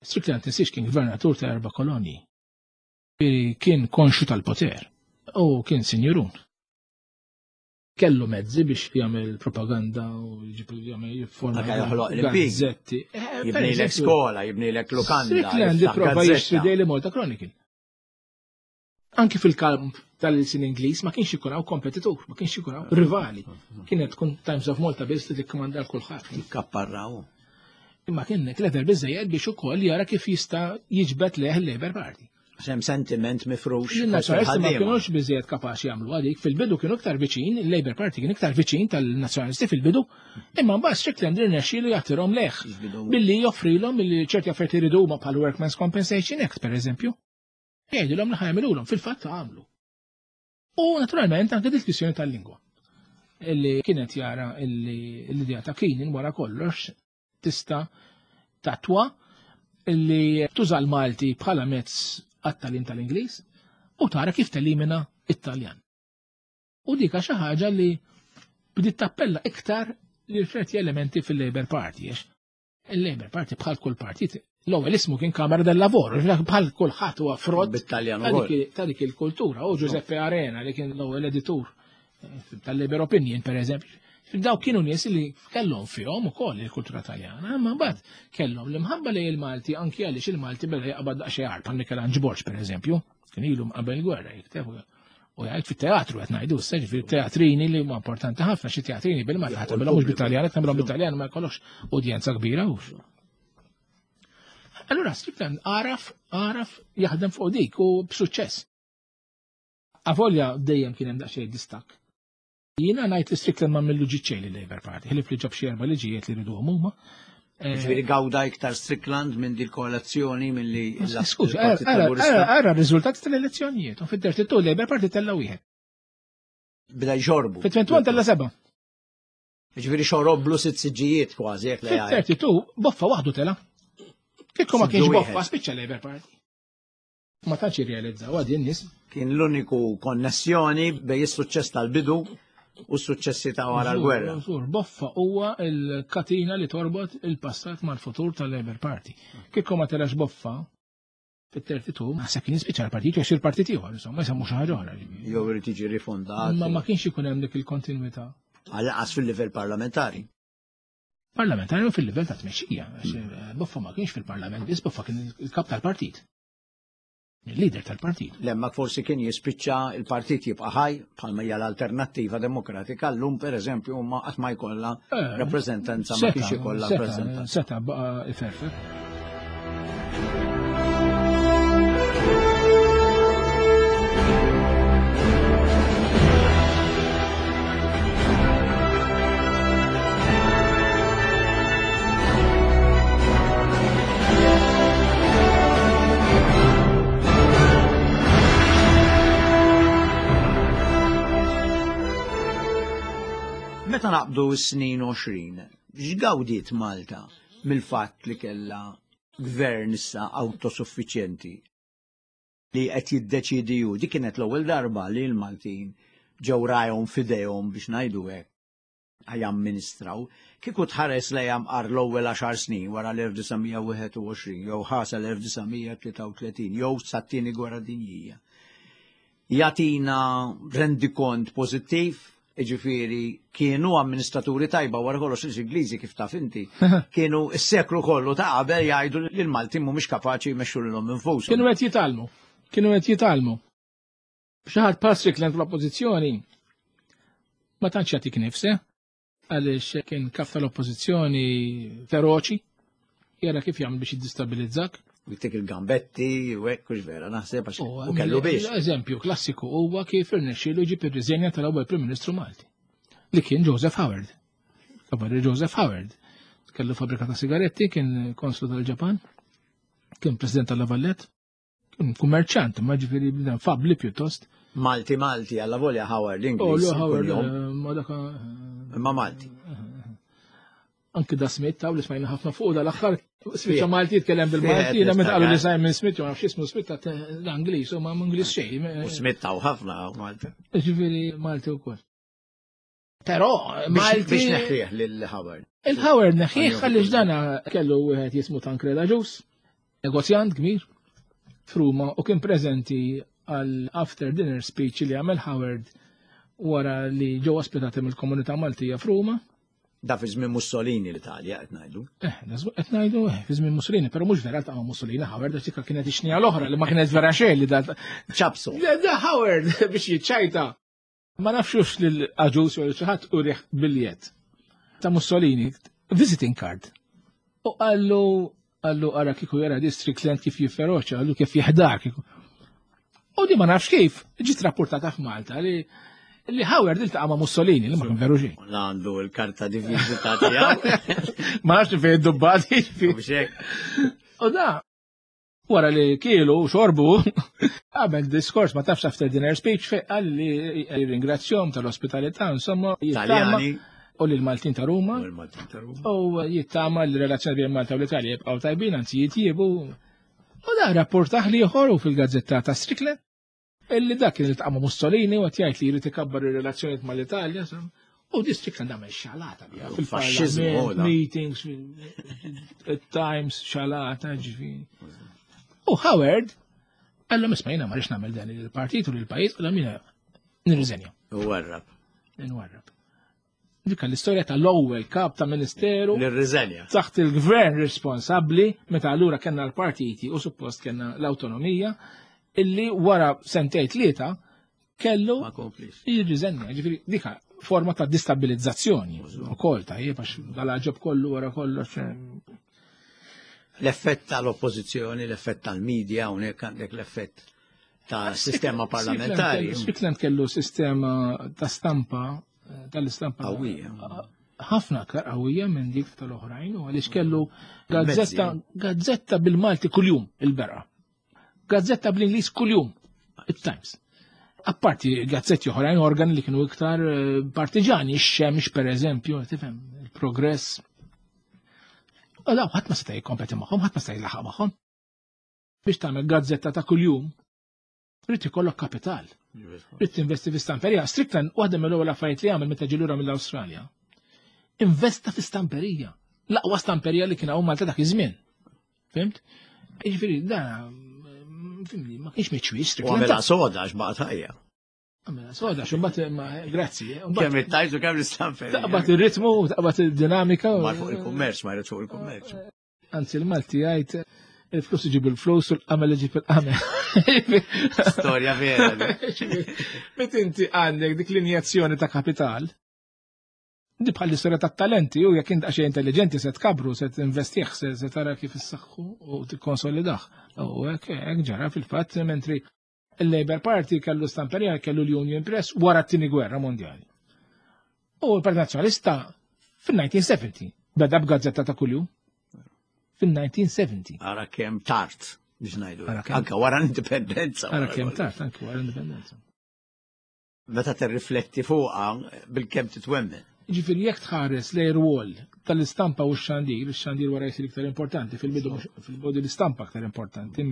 Strickland tinsiex kien gvernatur ta' erba' kolonji. Kien konxu tal-poter u kien sinjurun. Kellu mezzi biex jagħmel propaganda u jagħmel jifforma gazzetti. Jibnilek skola, jibnilek lukanda. Strickland ipprova jixtri Daily Malta Chronicle. Anki fil-kamp tal-sin Ingliż ma kienx ikun hawn kompetitur, ma kienx ikun hawn rivali. Kienet tkun Times of Malta biss li tikkomanda kulħadd. Jikkapparraw. Imma kien clever biżejjed biex ukoll jara kif jista' jiġbed leh il-Labour Party. Hemm sentiment mifrux. Il-Nazzjonalisti ma kienux biżejjed kapaċi jagħmlu għadik. Fil-bidu kienu iktar viċin, il-Labour Party kien iktar viċin tal-Nazzjonalisti fil-bidu, imma mbagħad Strickland irnexxielu jagħtirhom leh billi joffrilhom li ċerti affarijiet iridu huma bħal Workmen's Compensation Act pereżempju. Jgħidulhom li ħajamilulhom, fil-fatt għamlu. U naturalment anke dik-kwistjoni tal-lingwa. Illi kienet jara illi l-idea ta' Keenan wara kollox tista' tatwa illi tuża l-Malti bħala mezz għat-tagħlim tal-Ingliż u tara kif telimina it-Taljan. U dika xi ħaġa li bdiet tappella iktar lil ċerti elementi fil-Labour Party. Il-Labour Party bħal kull partit l-ewwel ismu kien Kamera del Lavoro, bħal kulħadd huwa frott ta' dik il-kultura. U Giuseppe Arena li kien l-ewwel editur tal-Labour Opinion pereżempju. Daw kienu nies li kellhom fihom ukoll il-kultura Taljana, imma mbagħad kellhom l-imħabba lejn il-Malti anki għaliex il-Malti beda jaqbad daqsxejn għar bħal Michelangelo Borg pereżempju, kien ilu qabel il-gwerra jikteb u jgħid fit-teatru qed ngħidu issa, ġifieri teatrini li huma importanti ħafna, xi teatrini bil-Malti ħadd tagħmilhom mhux bit-Taljan, qed tagħmilhom bit-Taljan ma jkollokx udjenza kbira hux. Allura Strickland għaraf għaraf jaħdem fuq dik u b'suċċess. Avolja dejjem kien hemm daqsxejn distakk. Jiena ngħid li Strickland ma millu ġiċċej li Labour Party, ħlief li ġab xi erba' liġijiet li riduhom huma. Ġifieri gawda iktar Strickland minn din koalizzjoni milli Skużi, ara r-riżultati tal-elezzjonijiet. U fid-thirty-two Labour Party tella' wieħed. Beda jxorbu. Fit-twenty-one tella' seba'. Ġifieri xoroblu sitt siġġijiet kważi jekk le. Fit-thirty-two boffa waħdu tela'. Kieku ma kienx boffa spiċċa Labour Party. Ma tantx irrealizzaw għad in-nies. Kien l-uniku konnessjoni bejn is-suċċess tal-bidu u s-suċċessi ta' wara l-gwerra. Boffa huwa l-katina li torbot il-passat mal-futur tal-Labour Party. Kieku ma telax boffa fit-thirty-two, naħseb kien jispiċċa l-partit jew xi partit ieħor, insomma, jsemmu xi ħaġa oħra. Jew irid jiġi rifondat. Ma ma kienx ikun hemm dik il-kontinwità. Għal-qas fil-livell parlamentari. Parlamentari u fil-livell ta' tmexxija. Boffa ma kienx fil-parlament biss, Boffa kien il-kap tal-partit. Il-leader tal-partit. Lemma forsi kien jispiċċa il-partit jibqa' ħaj bħalma hija l-Alternattiva Demokratika llum pereżempju huma qatt ma jkollha rappreżentanza, ma kienx ikollha rappreżentanza. Seta' baqa' iferfer. Meta naqbdu s-snin għoxrin, x'gawdiet Malta mill-fatt li kellha Gvern issa autosuffiċjenti li qed jiddeċidi hu. Dik kienet l-ewwel darba li l-Maltin ġew rajhom f'idejhom, biex ngħidu hekk, jamministraw. Kieku tħares lejha mqar l-ewwel għaxar snin wara l-elf disa' mija u wieħed u għoxrin jew ħasa l-elf disa' mija tlieta u tletin jew sat-tieni gwerra dinjija, jagħtina rendikont pożittiv, ġifieri kienu amministraturi tajba wara kollox l-Ingliżi, kif taf inti, kienu s-seklu kollu ta' qabel jgħidu li l-Maltin mhumiex kapaċi jmexxu lilhom infushom. Kienu qed jitgħallmu. Kienu qed jitgħallmu. Xi ħadd bħal Strickland fl-oppożizzjoni ma tantx jagħtik nifse, għaliex kien kap tal-oppożizzjoni feroċi, jara kif jagħmel biex jiddistabilizzak. Jtik il-gambetti, u hekk, hux vera, naħseb għax u kellu biex. Eżempju klassiku huwa kif irnexxielu jġib ir-riżenja tal-ewwel Prim Ministru Malti, li kien Joseph Howard. Kabarri Joseph Howard. Kellu fabrika ta' sigaretti, kien konslu tal-Ġapan, kien president tal-La Valette, kien kummerċant, ma ġifieri bniedem fabli pjuttost. Malti Malti, alla volja Howard Oh, Ingliż. lu Howard, kuljum, eh, ma daka. eh, Imma Malti. Anki da Smith, taw li smajna ħafna fuq dal-aħħar, spiċċa Malti jitkellem bil-Malti, Fih, jiena meta qalu li niftakar. Simon Smith, jew nafx ismu Smith, ta' l-Ingliż, u ma Ingliż xejn. U Smith taw ħafna Malti. Ġifieri Malti wkoll. Però Biex Malti. biex neħħieħ lil Howard. Il-Howard neħħieħ għaliex dana kellu wieħed jismu Tancred Agius, negozjant kbir f'Ruma, u kien preżenti għal after dinner speech li għamel Howard wara li ġew ospitati mill-komunità Maltija f'Ruma. Da fi żmien Mussolini l-Italja qed ngħidu. Eh, qed ngħidu eh, fi żmien Mussolini, però mhux vera ta' Mussolini Howard, għax dik kienet ix-xnija l-oħra li ma kienet vera xejn li da. ċapsu. Da da Howard biex jiċċajta. Ma nafxux lil Agius jew xi ħadd urih biljett ta' Mussolini, visiting card. U qallu qallu ara kieku jara Strickland kif jifferoċa, qallu kif jiħdar kieku. U di ma nafx kif ġiet rapportata f'Malta li li Howard iltaqa' ma' Mussolini, li ma kien veru xejn. Għandu l-karta di vizita tiegħu. Ma nafx fejn id-dubbati. Biex hekk. U da, wara li kielu u xorbu, għamel diskors, ma tafx, after dinner speech, fej qal li ringrazzjom tal-ospitalità, insomma, jittama Taljani. u l-Maltin ta' Ruma, U l-Maltin ta' Ruma. U jittama l-relazzjoni bejn Malta u l-Italja jibqgħu tajbin, anzi jitjiebu. U da rapportaħ li u fil-gazzetta ta' Strickland, illi dak kien iltaqa' ma' Mussolini u qed jgħid li jrid ikabbar ir-relazzjonijiet mal-Italja. Insomma. U di Strickland għamel xalata biha Faxxiżmu, fil-parlament, da. meetings, fil-Times, xalata, ġifieri. U Howard, għallhom, isma', jiena ma rridx nagħmel dan il-partit u l-pajjiż, u jiena nirriżenja. U warrab. Nwarrab. Dik l-istorja tal-ewwel kap ta' ministeru Nirriżenja. taħt il-gvern responsabbli, meta allura kellna l-partiti u suppost kellna l-autonomija, illi wara sentejn tlieta kellu Ma komplix. jirriżenja. Ġifieri dika forma ta' distabilizzazzjoni ukoll, tajjeb, għax dal-ġob kollu wara kollox. eh, L-effett tal-oppożizzjoni, l-effett tal-medja, hawnhekk għandek l-effett ta' sistema parlamentari. Strickland kellu sistema ta' stampa, eh, tal-istampa Qawwija. Ħafna aktar qawwija minn dik tal-oħrajn, u għaliex kellu gazzetta gazzetta bil-Malti kuljum, il-Berqa. Gazzetta bl-Ingliż kuljum, il-Times. Apparti gazzetti oħrajn, organi li kienu iktar eh, partiġani, ix-Xemx per eżempju, tifhem, il-Progress. U daw ħadd ma seta' jikkompeti magħhom, ħadd ma seta' jilaħaq magħhom. Biex tagħmel gazzetta ta' kuljum, trid ikollok kapital. Trid tinvesti fi stamperija. Strickland, waħda mill-ewwel affarijiet li għamel meta ġie lura mill-Awstralja, investa fi stamperija. L-aqwa stamperija li kien hawn Malta dak iż-żmien. Fhimt? Jiġifieri da fhimni, ma kienx miċwis U Strickland. għamela soda għax baqgħet ħajja. Għamela soda, xumbat ma grazzi. eh, mbagħad Kemm it-tajt u kemm l-istamperija. Taqbad ir-ritmu, taqbad id-dinamika. u- Mar fuq il-kummerċ, ma jrid fuq il-kummerċ. Anzi, il-Malti jgħid il-flus iġib il-flus u l-qamel iġib il-qamel. Storja vera di. Met inti għandek dik l-injezzjoni ta' kapital, di bħal l-istorja ta' talenti, u jekk int għaxej intelligenti se tkabru, se tinvestih, se se tara kif issaħħu u tikkonsolidah. U hekk hekk ġara fil-fatt, mentri il-Labour Party kellu stamperija, kellu l-Union Press wara t-tieni gwerra mondjali. U l-Partit Nazzjonalista fil-elf disa' mija u sebgħin beda b'gazzetta ta' kuljum. Fil-elf disa' mija u sebgħin. Ara kemm tard biex ngħidu. Ara kemm- Anka wara l-indipendenza. Ara wara kemm kollox. tard, anke wara l-indipendenza. Meta tirrifletti fuqha bil-kemm titwemmen. Ġifieri jekk tħares lejn rwol tal-istampa u x-xandir, ix-xandir wara jsir iktar importanti, fil-bidu fil-bidu l-istampa aktar importanti.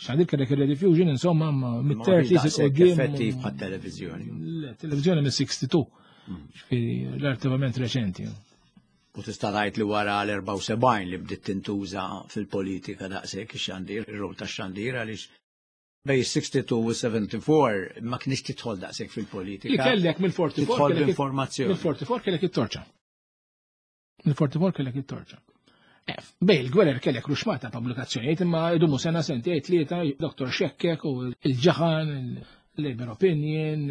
Xandir kellek il-rediffusion, insomma, mit-thirties il-qudiem. Effettiv bħat-televiżjoni. Le, televizjoni mis-sixty-two. Ġifieri relattivament reċenti. U tista' tgħid li wara l-erbgħa u sebgħin li bdiet tintuża fil-politika daqshekk ix-xandir, ir-rol tax-xandir għaliex bej sixty-two u seventy-four ma kienx tidħol daqshekk fil-politika. Li kellek mill-forty-four Tidħol b'informazzjoni. Mill-forty-four kellek it-torċa. Mill-forty-four kellek it-torċa. Eh, bej il-gwerer kellek ruxmata pubblikazzjonijiet imma idumu sena sentejn tlieta, Doktor Xekkek u il-Ġaħan, il-Labor Opinion,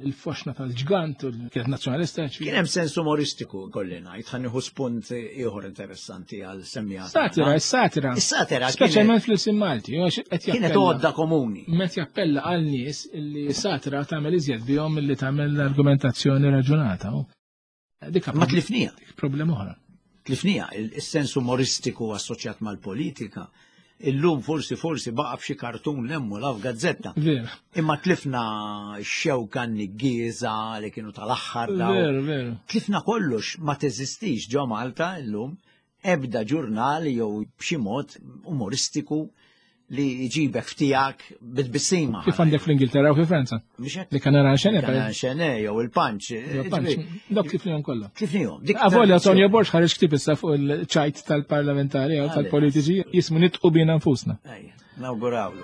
il-Foxna tal-Ġgant, kienet nazzjonalista. Kien hemm sens umoristiku kolli ngħid, ħa nieħu spunt ieħor interessanti għal semmija. Satira, is-satira. Is-satira Speċjalment fl-ilsien Malti, għax qed Kienet jappella. għodda komuni. Met jappella għal nies li satira tagħmel iżjed bihom milli tagħmel argumentazzjoni raġunata. Dik Ma tlifnija. Dik problema oħra. Tlifnija, il-sens umoristiku assoċjat mal-politika. Illum forsi, forsi baqa' f'xi kartun lemmu la f'gazzetta. Veru. Imma tlifna x-xewka n-niggiża li kienu tal-aħħar daw. Veru, veru. Tlifna kollox, ma teżistix ġo Malta illum ebda ġurnal jew b'xi mod umoristiku li jġibek ftijak bit-tbissima. Kif għandek fl-Ingilterra u fi Franza? Mhux hekk? Li kan nara xene, Kan nara xene, jew il-Punch. Jew il-Punch. Dawk tlifnihom kollha. Tlifnihom. Dik Avolja tradizzjoni. Tonio Borg ħareġ ktieb issa fuq il-ċajt tal-parlamentari jew Għalli. tal-politiċi jismu nitqu bina nfusna. Ejja, nawgurawlu.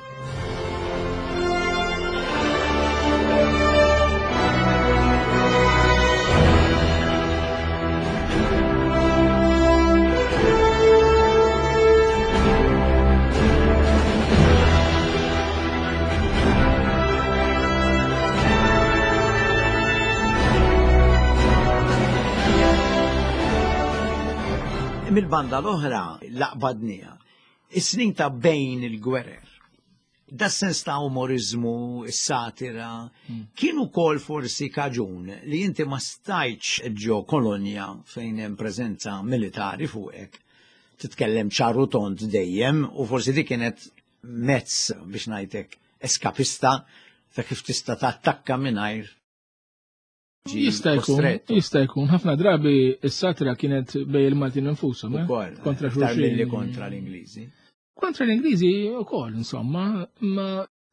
Mil-banda l-oħra laqbadnija, is-snin ta' bejn il-gwerer, da sens ta' umorizmu, is-satira, Hmm. kienu kol forsi kaġun li inti ma stajtx ġo kolonja fejn hemm preżenza militari fuqek, titkellem ċaru tont dejjem, u forsi dik kienet mezz biex ngħidlek eskapista ta' kif tista' tattakka mingħajr ġi Jista' jkun, kostretto. jista' jkun. Ħafna drabi s-satira kienet bej il-Maltin infushom, eh? Ukoll, Kontra aktar xulxin. milli kontra l-Ingliżi. Kontra l-Ingliżi ukoll, insomma, ma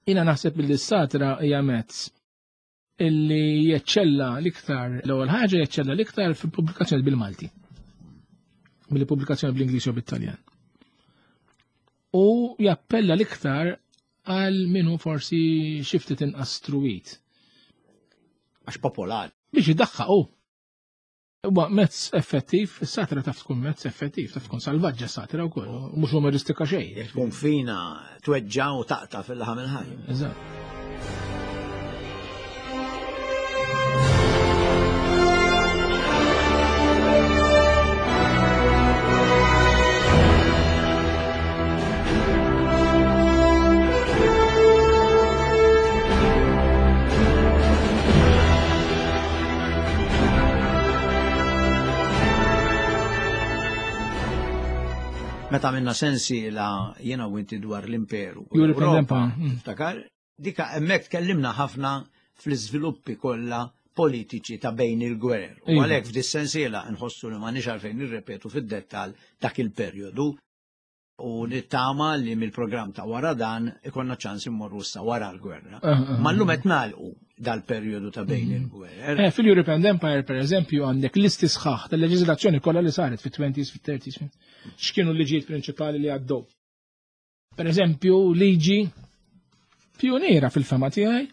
jiena naħseb li s-satira hija mezz illi jeċċella l-iktar, l-ewwel ħaġa jeċċella l-iktar fil-pubblikazzjoni bil-Malti. Mill-pubblikazzjoni bl-Ingliż jew bit-Taljan. U jappella l-iktar għal minnu forsi xi ftit inqas struwit. Għax popolari. Biex jiddaħħaq hu. Huwa mezz effettiv, is-satira taf tkun mezz effettiv, taf tkun salvaġġa s-satira wkoll, u mhux umoristika xejn. Jekk tkun fina tweġġa u taqta' fil-laħam il-ħaj. Eżatt. Meta minna sensi la jena u inti dwar l-imperu. European L-Ewropa, Empire, mm. Tiftakar? Dika hemmhekk tkellimna ħafna fl-iżviluppi kollha politiċi ta' bejn il-gwerer. U Iva. għalhekk f'dis sensiela nħossu li m'għandniex għalfejn nirrepetu fid-dettall dak il-perjodu u nittama li mill-programm ta' wara dan ikonna ċans immorru issa wara l-gwerra. Ah, ah, Ma llum qed nagħlqu dal-perjodu ta' bejn il-gwerer. Eh, fil-European Empire, per eżempju, għandek listi sħaħ tal-leġiżlazzjoni kollha li saret fit-twenties, fit-thirties, x'kienu l-liġijiet prinċipali li għaddew. Per eżempju, liġi pioniera fil-fema tiegħi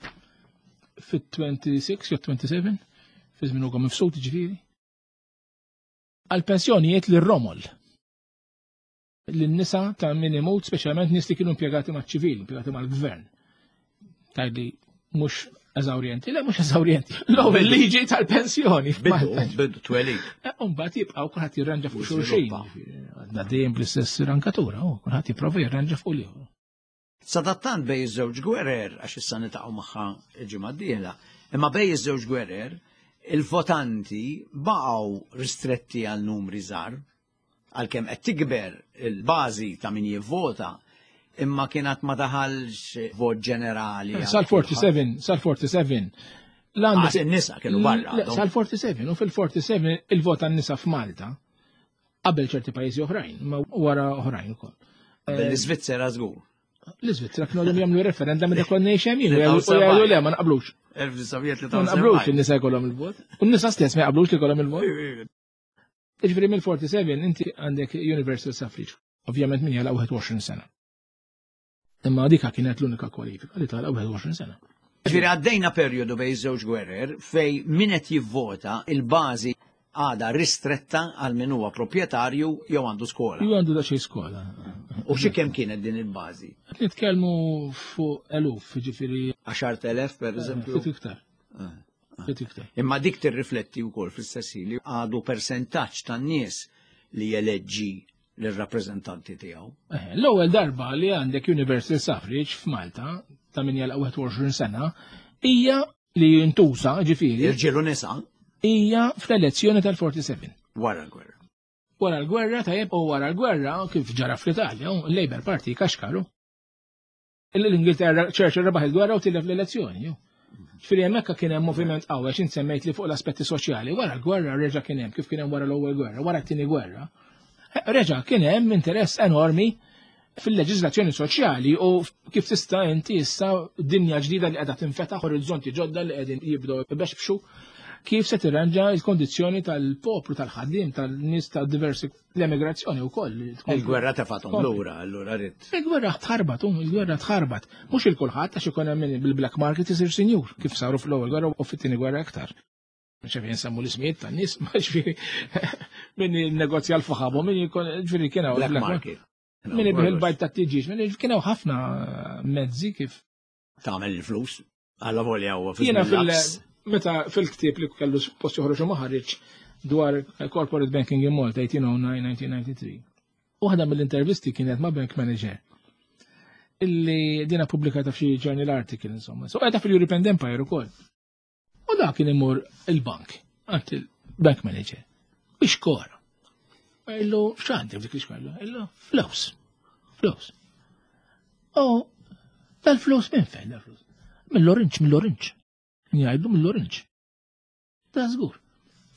fit-twenty-six jew twenty-seven, fi żmien Ugo Mifsud ġifieri, għal-pensjonijiet lir-romol. Lin-nisa ta' min imut, speċjalment nies li kienu impjegati maċ-ċivil, impjegati mal-gvern. Tajli mhux eżawrjenti, le mhux eżawrjenti. L-ewwel liġi tal-pensjoni Bidu, f'Malta. bidu twelid. Eh, u mbagħad jibqgħu kulħadd jirranġa fuq U xulxin. żviluppa. Għadna dejjem bl-istess rankatura, u kulħadd jipprova jirranġa fuq l-ieħor. Sadattant bej iż-żewġ gwerer, għax issa nitaqgħu magħha il-ġimgħa d-dieħla, imma bej iż-żewġ gwerer, il-votanti baqgħu ristretti għal numri żgħar, għalkemm qed tikber il-bażi ta' min jivvota, imma kien għad ma daħalx vot ġenerali. Eh, sal forty-seven, sal forty-seven, Għas in-nisa kienu barra. Sal-erbgħa u żebgħin, u fil-erbgħa u sebgħin il-vot għan-nisa f'Malta qabel ċerti pajjiżi oħrajn, ma wara oħrajn ukoll. Qabel l-Iżvizzera żgur. L-Iżvizzera kienu għadhom jagħmlu referendum meta konna ngħix hemm u jgħidu le ma naqblux. elf disa' mija tlieta u sebgħin. Ma naqblux in-nisa jkollhom il-vot. U n-nisa stess ma jaqblux li jkollhom il-vot. Ġifieri mill-erbgħa u sebgħin inti għandek universal suffrage. Ovvjament min jagħlaq wieħed u għoxrin sena. Imma dika kienet l-unika kwalifika li tagħlaq wieħed u għoxrin sena. Ġifieri għaddejna perjodu bejn żewġ gwerer fej min qed jivvota il-bażi għada ristretta għal min huwa proprjetarju jew għandu skola. Jew għandu xi skola. U xi kemm kienet din il-bażi? Qed nitkellmu fuq eluf, ġifieri għaxart elef per eżempju. Ftit iktar. Ftit iktar. Imma dik tirrifletti wkoll fl-istess ħin li għadu persentaġġ tan-nies li jeleġġi lir-rappreżentanti tiegħu. L-ewwel darba li għandek universal suffrage f'Malta ta' min jagħlaq wieħed u għoxrin sena hija li jintuża, ġifieri. Irġiel u nisa. Hija fl-elezzjoni tal-erbgħa u sebgħin. Wara l-gwerra. Wara l-gwerra, tajjeb, u wara l-gwerra, kif ġara fl-Italja, il-Labour Party kaxkaru. L-Ingilterra, Churchill rebaħ il-gwerra u tilef l-elezzjoni. Ġifieri hemmhekk kien hemm moviment qawwi għax int semmejt li fuq l-aspetti soċjali, wara l-gwerra reġa' kien hemm, kif kien hemm wara l-ewwel gwerra, wara t-tieni gwerra. Reġa' kien hemm interess enormi fil-leġiżlazzjoni soċjali u kif tista' inti issa dinja ġdida li qiegħda tinfetaħ, orizzonti ġodda li qegħdin jibdew ibexbxu, kif se tirranġa l-kondizzjoni tal-poplu, tal-ħaddiem, tal-nies ta' diversi l-emigrazzjoni wkoll. Il-gwerra tefathom lura, allura rrid. Il-gwerra tħarbat, um, il-gwerra tħarbat. Mhux il kulħadd għax ikun hemm min bil-black market isir sinjur, kif saru fl-ewwel gwerra u fit-tieni gwerra iktar. ċefi nsemmu l-ismijiet tan-nies, ma ġifieri min negozja l-faħabu, min jkun ġifieri kien hawn Black market. Min ibih il-bajd ta' tiġiġ, min kien hawn ħafna mezzi kif. Tagħmel il-flus, alla volja huwa fi Jiena fil- meta fil-ktieb li kellu post joħroġ u ma ħareġ dwar corporate banking in Malta eighteen oh nine nineteen ninety-three. Waħda mill-intervisti kienet ma' bank manager illi dina pubblikata f'xi journal article, insomma. So qiegħda fil-European Empire ukoll. U da kien imur il-bank, għand il-bank manager, biex kora. Illu, x'għandi f'dik l-iskola? Illu, flus. Flus. U dal-flus minn fejn dal-flus? Mill-orange, mill-orange. Jgħidlu mill-orange. Da żgur.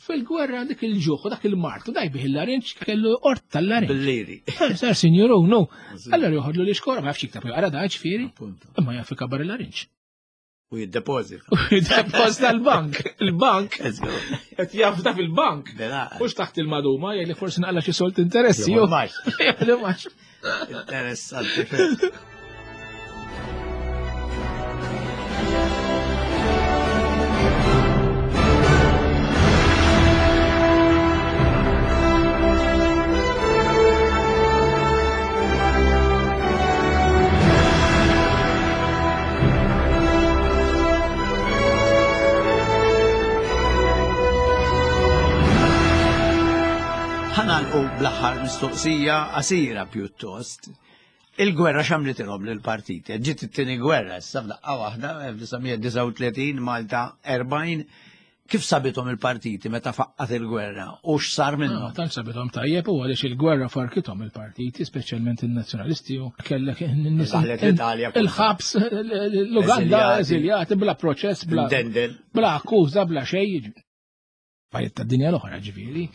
Fil-gwerra dik il-ġuħ u dak il-martu daj bih il-larinġ kellu ort tal-larinġ. Bil-liri. Sar sinjuru, no. Allora joħodlu li xkora, ma jafx jiktab jaqra da ġifieri, imma jaf ikabbar il-larinġ. U jiddepozita. U jiddepozita l-bank. Il-bank. Qed jafda fil-bank. Mhux taħt il-maduma, jgħid li forsi naqla xi solt interessi. Jew Interessanti. Ħa nagħlqu bl-aħħar mistoqsija qasira pjuttost. Il-gwerra x'għamlitilhom lill-partiti? Ġiet it-tieni gwerra, issa f'daqqa waħda, elf disa' mija disgħa u tletin, Malta erbgħin. Kif sabithom il-partiti meta faqqat il-gwerra u x'sar minnhom? Tant sabithom tajjeb u għaliex il-gwerra farkithom il-partiti, speċjalment il-nazzjonalisti u kellek n-nies Daħlet l-Italja. Il-ħabs, l-Uganda, eżiljati, bla proċess, bla bla akkuża, bla xejn. Pajjiet tad-dinja l-oħra ġifieri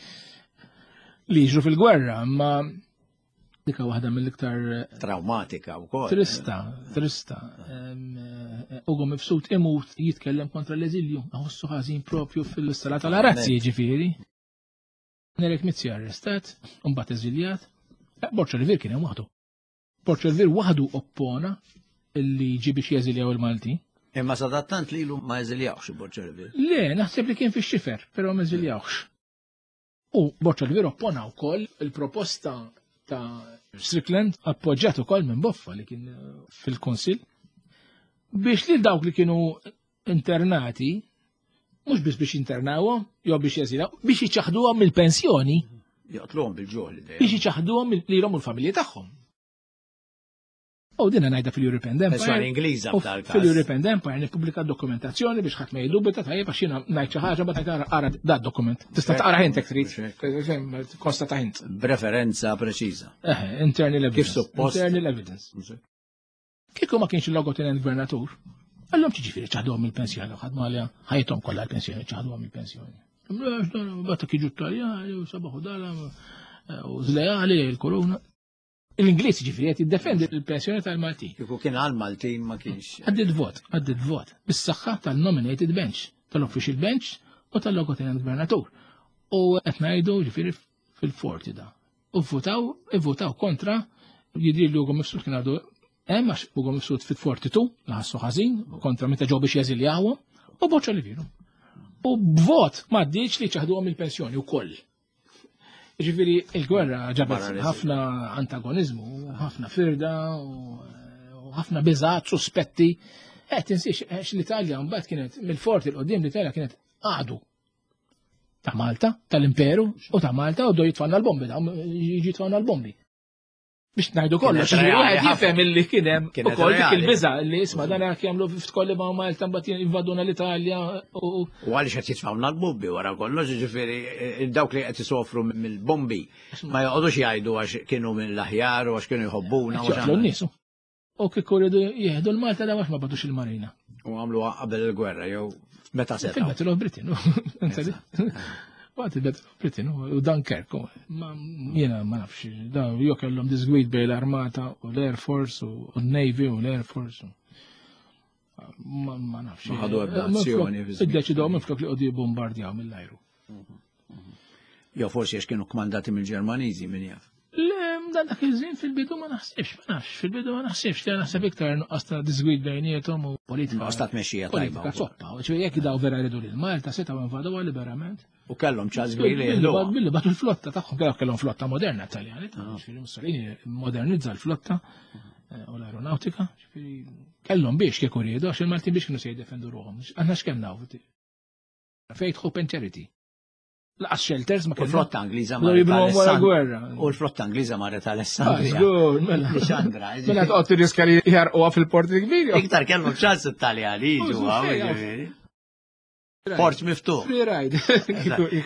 li jiġru fil-gwerra, imma dika waħda mill-iktar traumatika wkoll. Trista, trista. Ugo Mifsud imut jitkellem kontra l-eżilju, ħossu ħażin propju fil-sala tal-arazzi ġifieri. Nerik Mizzi arrestat, mbagħad eżiljat. Borg Olivier kien hemm waħdu. Borg Olivier waħdu oppona illi ġi biex jeżiljaw il-Malti. Imma sadattant lilu ma jeżiljawx Borg Olivier. Le, naħseb li kien fix-xifer, però ma eżiljawx. U Borg Olivier oppona wkoll il-proposta ta' Strickland, appoġġjat ukoll minn Boffa li kien fil-Kunsill, biex li dawk li kienu internati, mhux biss biex internawhom jew biex jeżiljaw, biex jiċaħduhom mill-pensjoni. Joqtluhom bil-ġuħ li Biex jiċaħduhom lilhom u l-familji tagħhom. U dina ngħidha fil-European Empire. Pensjoni Ingliża f'dal-każ. Fil-European Empire nippubblika dokumentazzjoni biex ħadd ma jiddubita, tajjeb, għax jiena ngħid xi ħaġa ma tgħid ara da dokument. Tista' taqra int trid. Konstata int. B'referenza preċiża. Eh, internal evidence. Kif suppost. Internal evidence. Kieku ma kienx il-logotenent gvernatur, Għallhom ġifieri ċaħduhom il-pensjoni, ħadmu għalija ħajthom kollha l-pensjoni, ċaħduhom il-pensjoni. Batta kiġu Taljani u sabaħu dala u zlejali il-korona. L-Ingliż ġifieri qed jiddefendi l-pensjoni tal-Maltin. Kieku kien għal-Maltin ma kienx. Għaddit vot, għaddit vot, bis-saħħa tal-nominated bench, tal-official bench u tal-logotenent gvernatur. U qed ngħidu ġifieri fil-forti da. U votaw, votaw kontra jidri li Ugo Mifsud kien għadu hemm għax Ugo Mifsud fit-forty-two ħassu ħażin kontra meta ġew biex jeżiljawhom u Borg Olivier. U b'vot ma ddiċ li ċaħduhom il-pensjoni wkoll. Ġifieri il-gwerra ġabet ħafna antagonizmu, ħafna firda u ħafna biżgħat, suspetti. Eh, tinsiex għax l-Italja mbagħad kienet mill-forti l-qudiem l-Italja kienet għadu ta' Malta, tal-Imperu u ta' Malta u do jitfanna l-bombi, jiġi jitfanna l-bombi. Biex ngħidu kollox, wieħed jifhem illi kien hemm ukoll dik il-biża' li isma' dan hekk jagħmlu f'tkolli ma' Malta mbagħad jinvaduna l-Italja u U għaliex qed jitfgħuna l-bombi wara kollox, jiġifieri dawk li qed isofru mill-bombi ma joqogħdux jgħidu għax kienu mill-aħjar u għax kienu jħobbuna. Joqtlu n-nies. U kieku rridu jieħdu l-Malta da għax ma bagħtux il-Marina. U għamlu qabel il-gwerra jew meta setgħu. Fil-Battle of Britain. Waqt il-Battle of Britain u Dunkirk. Ma jiena ma nafx, da jew kellhom disgwid bejn l-Armata u l-Air Force u l-Navy u l-Air Force. Ma ma nafx. Ma ħadu ebda azzjoni fi żmien. Iddeċidew minflok li qogħdu jibbombardjaw mill-ajru. Jew forsi għax kienu kmandati mill-Ġermaniżi min jaf. Le, dan dak iż-żmien fil-bidu ma naħsibx, ma nafx, fil-bidu ma naħsibx, li naħseb iktar nuqqas ta' disgwid bejniethom u politika. Nuqqas ta' tmexxija tajba Politika wkoll. soppa, ċe jekk daw vera jridu lil Malta setgħu invaduha liberament. U kellhom ċans kbir li Billi jeħduha. billi bagħtu l-flotta tagħhom, kellhom kellhom flotta moderna Taljani, ġifieri Mussolini modernizza l-flotta eh, u l-aeronautika, ġifieri kellhom biex kieku riedu, għax il-Maltin biex kienu se jiddefendu ruħhom. Aħna x'kemm nafu? Faith, hope and charity. Laqas shelters ma U kellhom. l-flotta Ingliża Bdew marret jibnuhom wara Alessand- gwerra. U l-flotta Ingliża marret Ah, Alessandria. żgur, mela. Lisandra, Mela toqgħod tirriska li jarquha fil-porti kbir. Iktar kellhom ċans it-Taljani jiġu U, għaw, xejn, ġifieri. Port miftuħ. Free ride.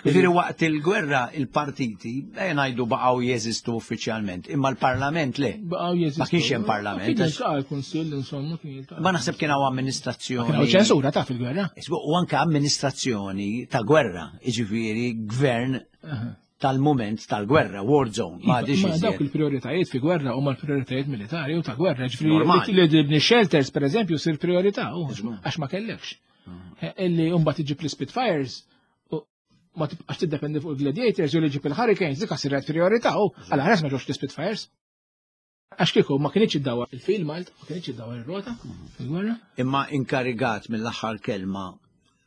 Ġifieri waqt il-gwerra il-partiti, eh, ngħidu baqgħu jeżistu uffiċjalment, imma l-parlament le. Baqgħu jeżistu. Ma kienx hemm parlament. Kien jiltaqa' l-Kunsill, insomma, kien jiltaqa'. Ma naħseb kien hawn amministrazzjoni. Kien hawn ċensura ta' fil-gwerra. Isbu, U anke amministrazzjoni ta' gwerra, jiġifieri gvern tal-moment tal-gwerra, war zone, ma għadix Ma dawk iżjed. il-prioritajiet fi gwerra huma l-prioritajiet militari u ta' gwerra. Ġifieri Normali. li tibni shelters, per eżempju, sir priorità, u għax ma kellekx. Illi mbagħad iġib l-Spitfires u ma tibqax tiddependi fuq il-Gladiators u li ġib il-Hurricanes, dik siret priorità u għala ħares ma ġewx l-Spitfires. Għax kieku ma kienx iddawar il-fil Malta, ma kienx iddawar ir-rota fil-gwerra. Imma inkarigat mill-aħħar kelma,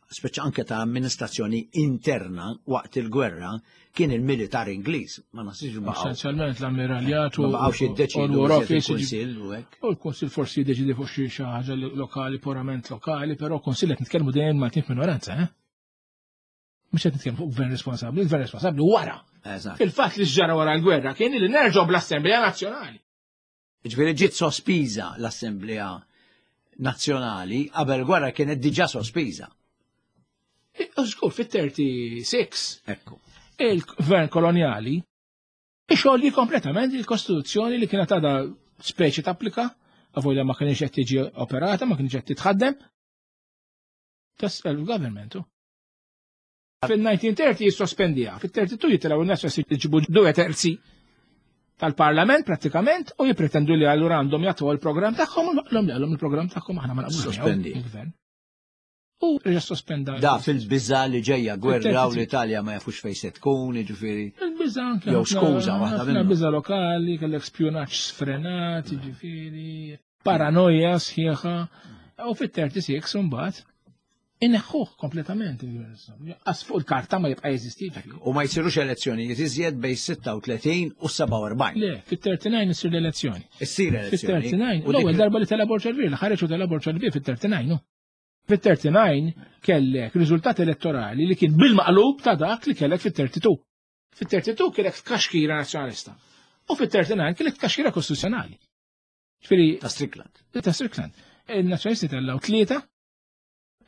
speċa anke ta' amministrazzjoni interna waqt il-gwerra, kien il-militar Ingliż. Ma nasibx baqgħu. Essenzjalment l-ammiraljat u Ma baqgħux jiddeċidu u l-War iżjed Office, il-Kunsill u hekk. U l-Kunsill forsi jiddeċidi fuq xi xi ħaġa lokali, purament lokali, però Kunsill qed nitkellmu dejjem Maltin f'minoranza, eh? Mhux qed nitkellmu fuq gvern responsabbli, il-gvern responsabbli wara. Eżatt. Fil-fatt li ġara wara l-gwerra kien li nerġgħu bl-Assemblea Nazzjonali. Ġifieri ġiet sospiża l-Assemblea Nazzjonali qabel gwerra kienet diġà sospiża. U żgur fit-thirty-six Ekku. il-gvern koloniali ixolli kompletament il-Kostituzzjoni li kienet għadha speċi tapplika, avolja ma kienx qed tiġi operata, ma kienx qed titħaddem. Tas government. Fil-nineteen thirty jissospendija, fil-thirty-two jitilgħu n-nies jġibu due terzi tal-parlament pratikament u jipretendu li allura għandhom jagħtu l-programm tagħhom u l-għom li għallhom il-programm tagħhom aħna ma naqblux miegħu, Sospendi. il-gvern. U reġa' sospenda. Da fil-biża li ġejja gwerra u Fil-thirty-three. l-Italja ma jafux fejn se tkun, jiġifieri. Il-biża anke Jew ħafna- skuża waħda ħafna minnhom. biża lokali, kellek spjunaġġ sfrenat, jiġifieri, paranoja sħiħa. U fit-thirty-six imbagħad inneħħuh kompletament il-gvern. Qas fuq il-karta ma jibqa' jeżisti. U ma jsirux elezzjonijiet iżjed bejn sitta u tletin u sebgħa u erbgħin. Le, fit-thirty-nine issir l-elezzjoni. Issir elezzjoni. Fit-thirty-nine, U dik l-ewwel darba li tela Borg Olivier, li ħareġ u tela Borg Olivier fit-thirty-nine, no. Fit-thirty-nine kellek riżultat elettorali li kien bil-maqlub ta' dak li kellek fit-thirty-two. Fit-thirty-two kellek tkaxkira nazzjonalista. U fit-thirty-nine kellek tkaxkira kostituzzjonali. Ġifieri Ta' Strickland. Ta' Strickland. Il-nazzjonalisti tellaw tlieta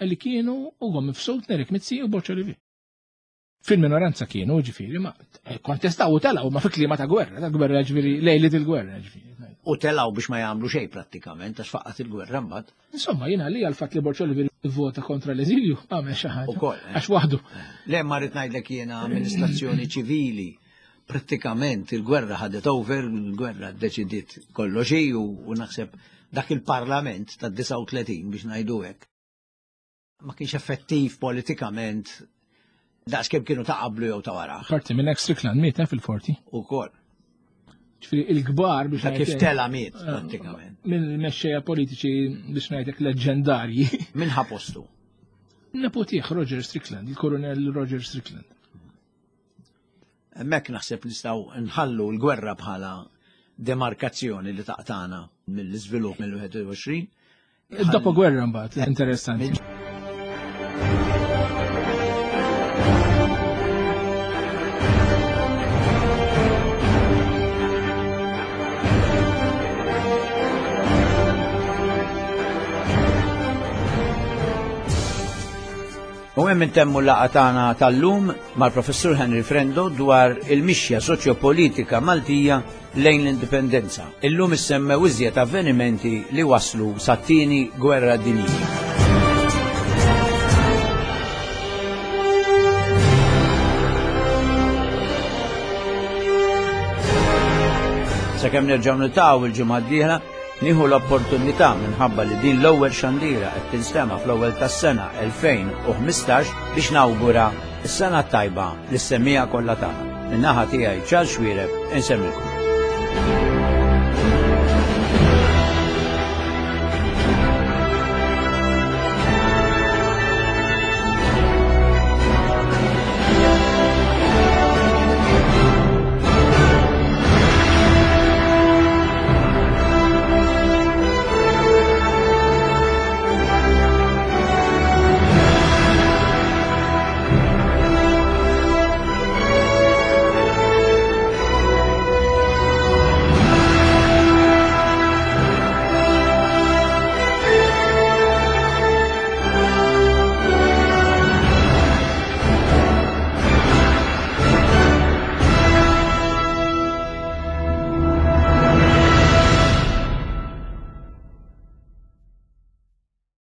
li kienu Ugo Mifsud, Nerik Mizzi u Borg Olivier. Fil-minoranza kienu, ġifieri, ma kontestaw u telaw, ma fi klima ta' gwerra, ta' gwerra ġifieri, lejlit il-gwerra ġifieri. U telaw biex ma jagħmlu xejn prattikament għax faqqat il-gwerra mbagħad. Insomma, jiena li għal-fatt li Borg Olivier vota kontra l-eżilju għamel xi ħaġa. Ukoll, eh. Għax waħdu. Le ma rrid ngħidlek jiena amministrazzjoni ċivili prattikament il-gwerra ħadet over, il-gwerra ddeċidiet kollox hi u, u naħseb dak il-parlament ta' disgħa u tletin biex ngħidu hekk. Ma kienx effettiv politikament daqs kemm kienu ta' qablu jew ta' wara. Parti minn hekk Strickland miet eh, fil-forty. Ukoll. Ġifieri il-kbar biex Ta' kif ngħidlek, tela miet prattikament. Minn mexxejja politiċi biex ngħidlek leġendarji. Min ħa postu? Nepotih Roger Strickland, il-Koronel Roger Strickland. Hemmhekk naħseb nistgħu nħallu l-gwerra bħala demarkazzjoni li taqtana mill-iżvilupp mill-wieħed u għoxrin. Dopo gwerra mbagħad, interessanti. U hemm intemmu l-laqgħa tagħna tal-lum mal-Professur Henry Frendo dwar il-mixja soċjopolitika Maltija lejn l-indipendenza. Illum issemmew iżjed avvenimenti li waslu sat-tieni gwerra dinjija. Sakemm nerġgħu niltaqgħu il-ġimgħa d-dieħla, nieħu l-opportunità minħabba li din l-ewwel xandira qed tinstema' fl-ewwel tas-sena elfejn u ħmistax biex nawgura s-sena tajba lis-semmiegħa kollha tagħna. Min-naħa tiegħi Charles Xuereb insemmilkom.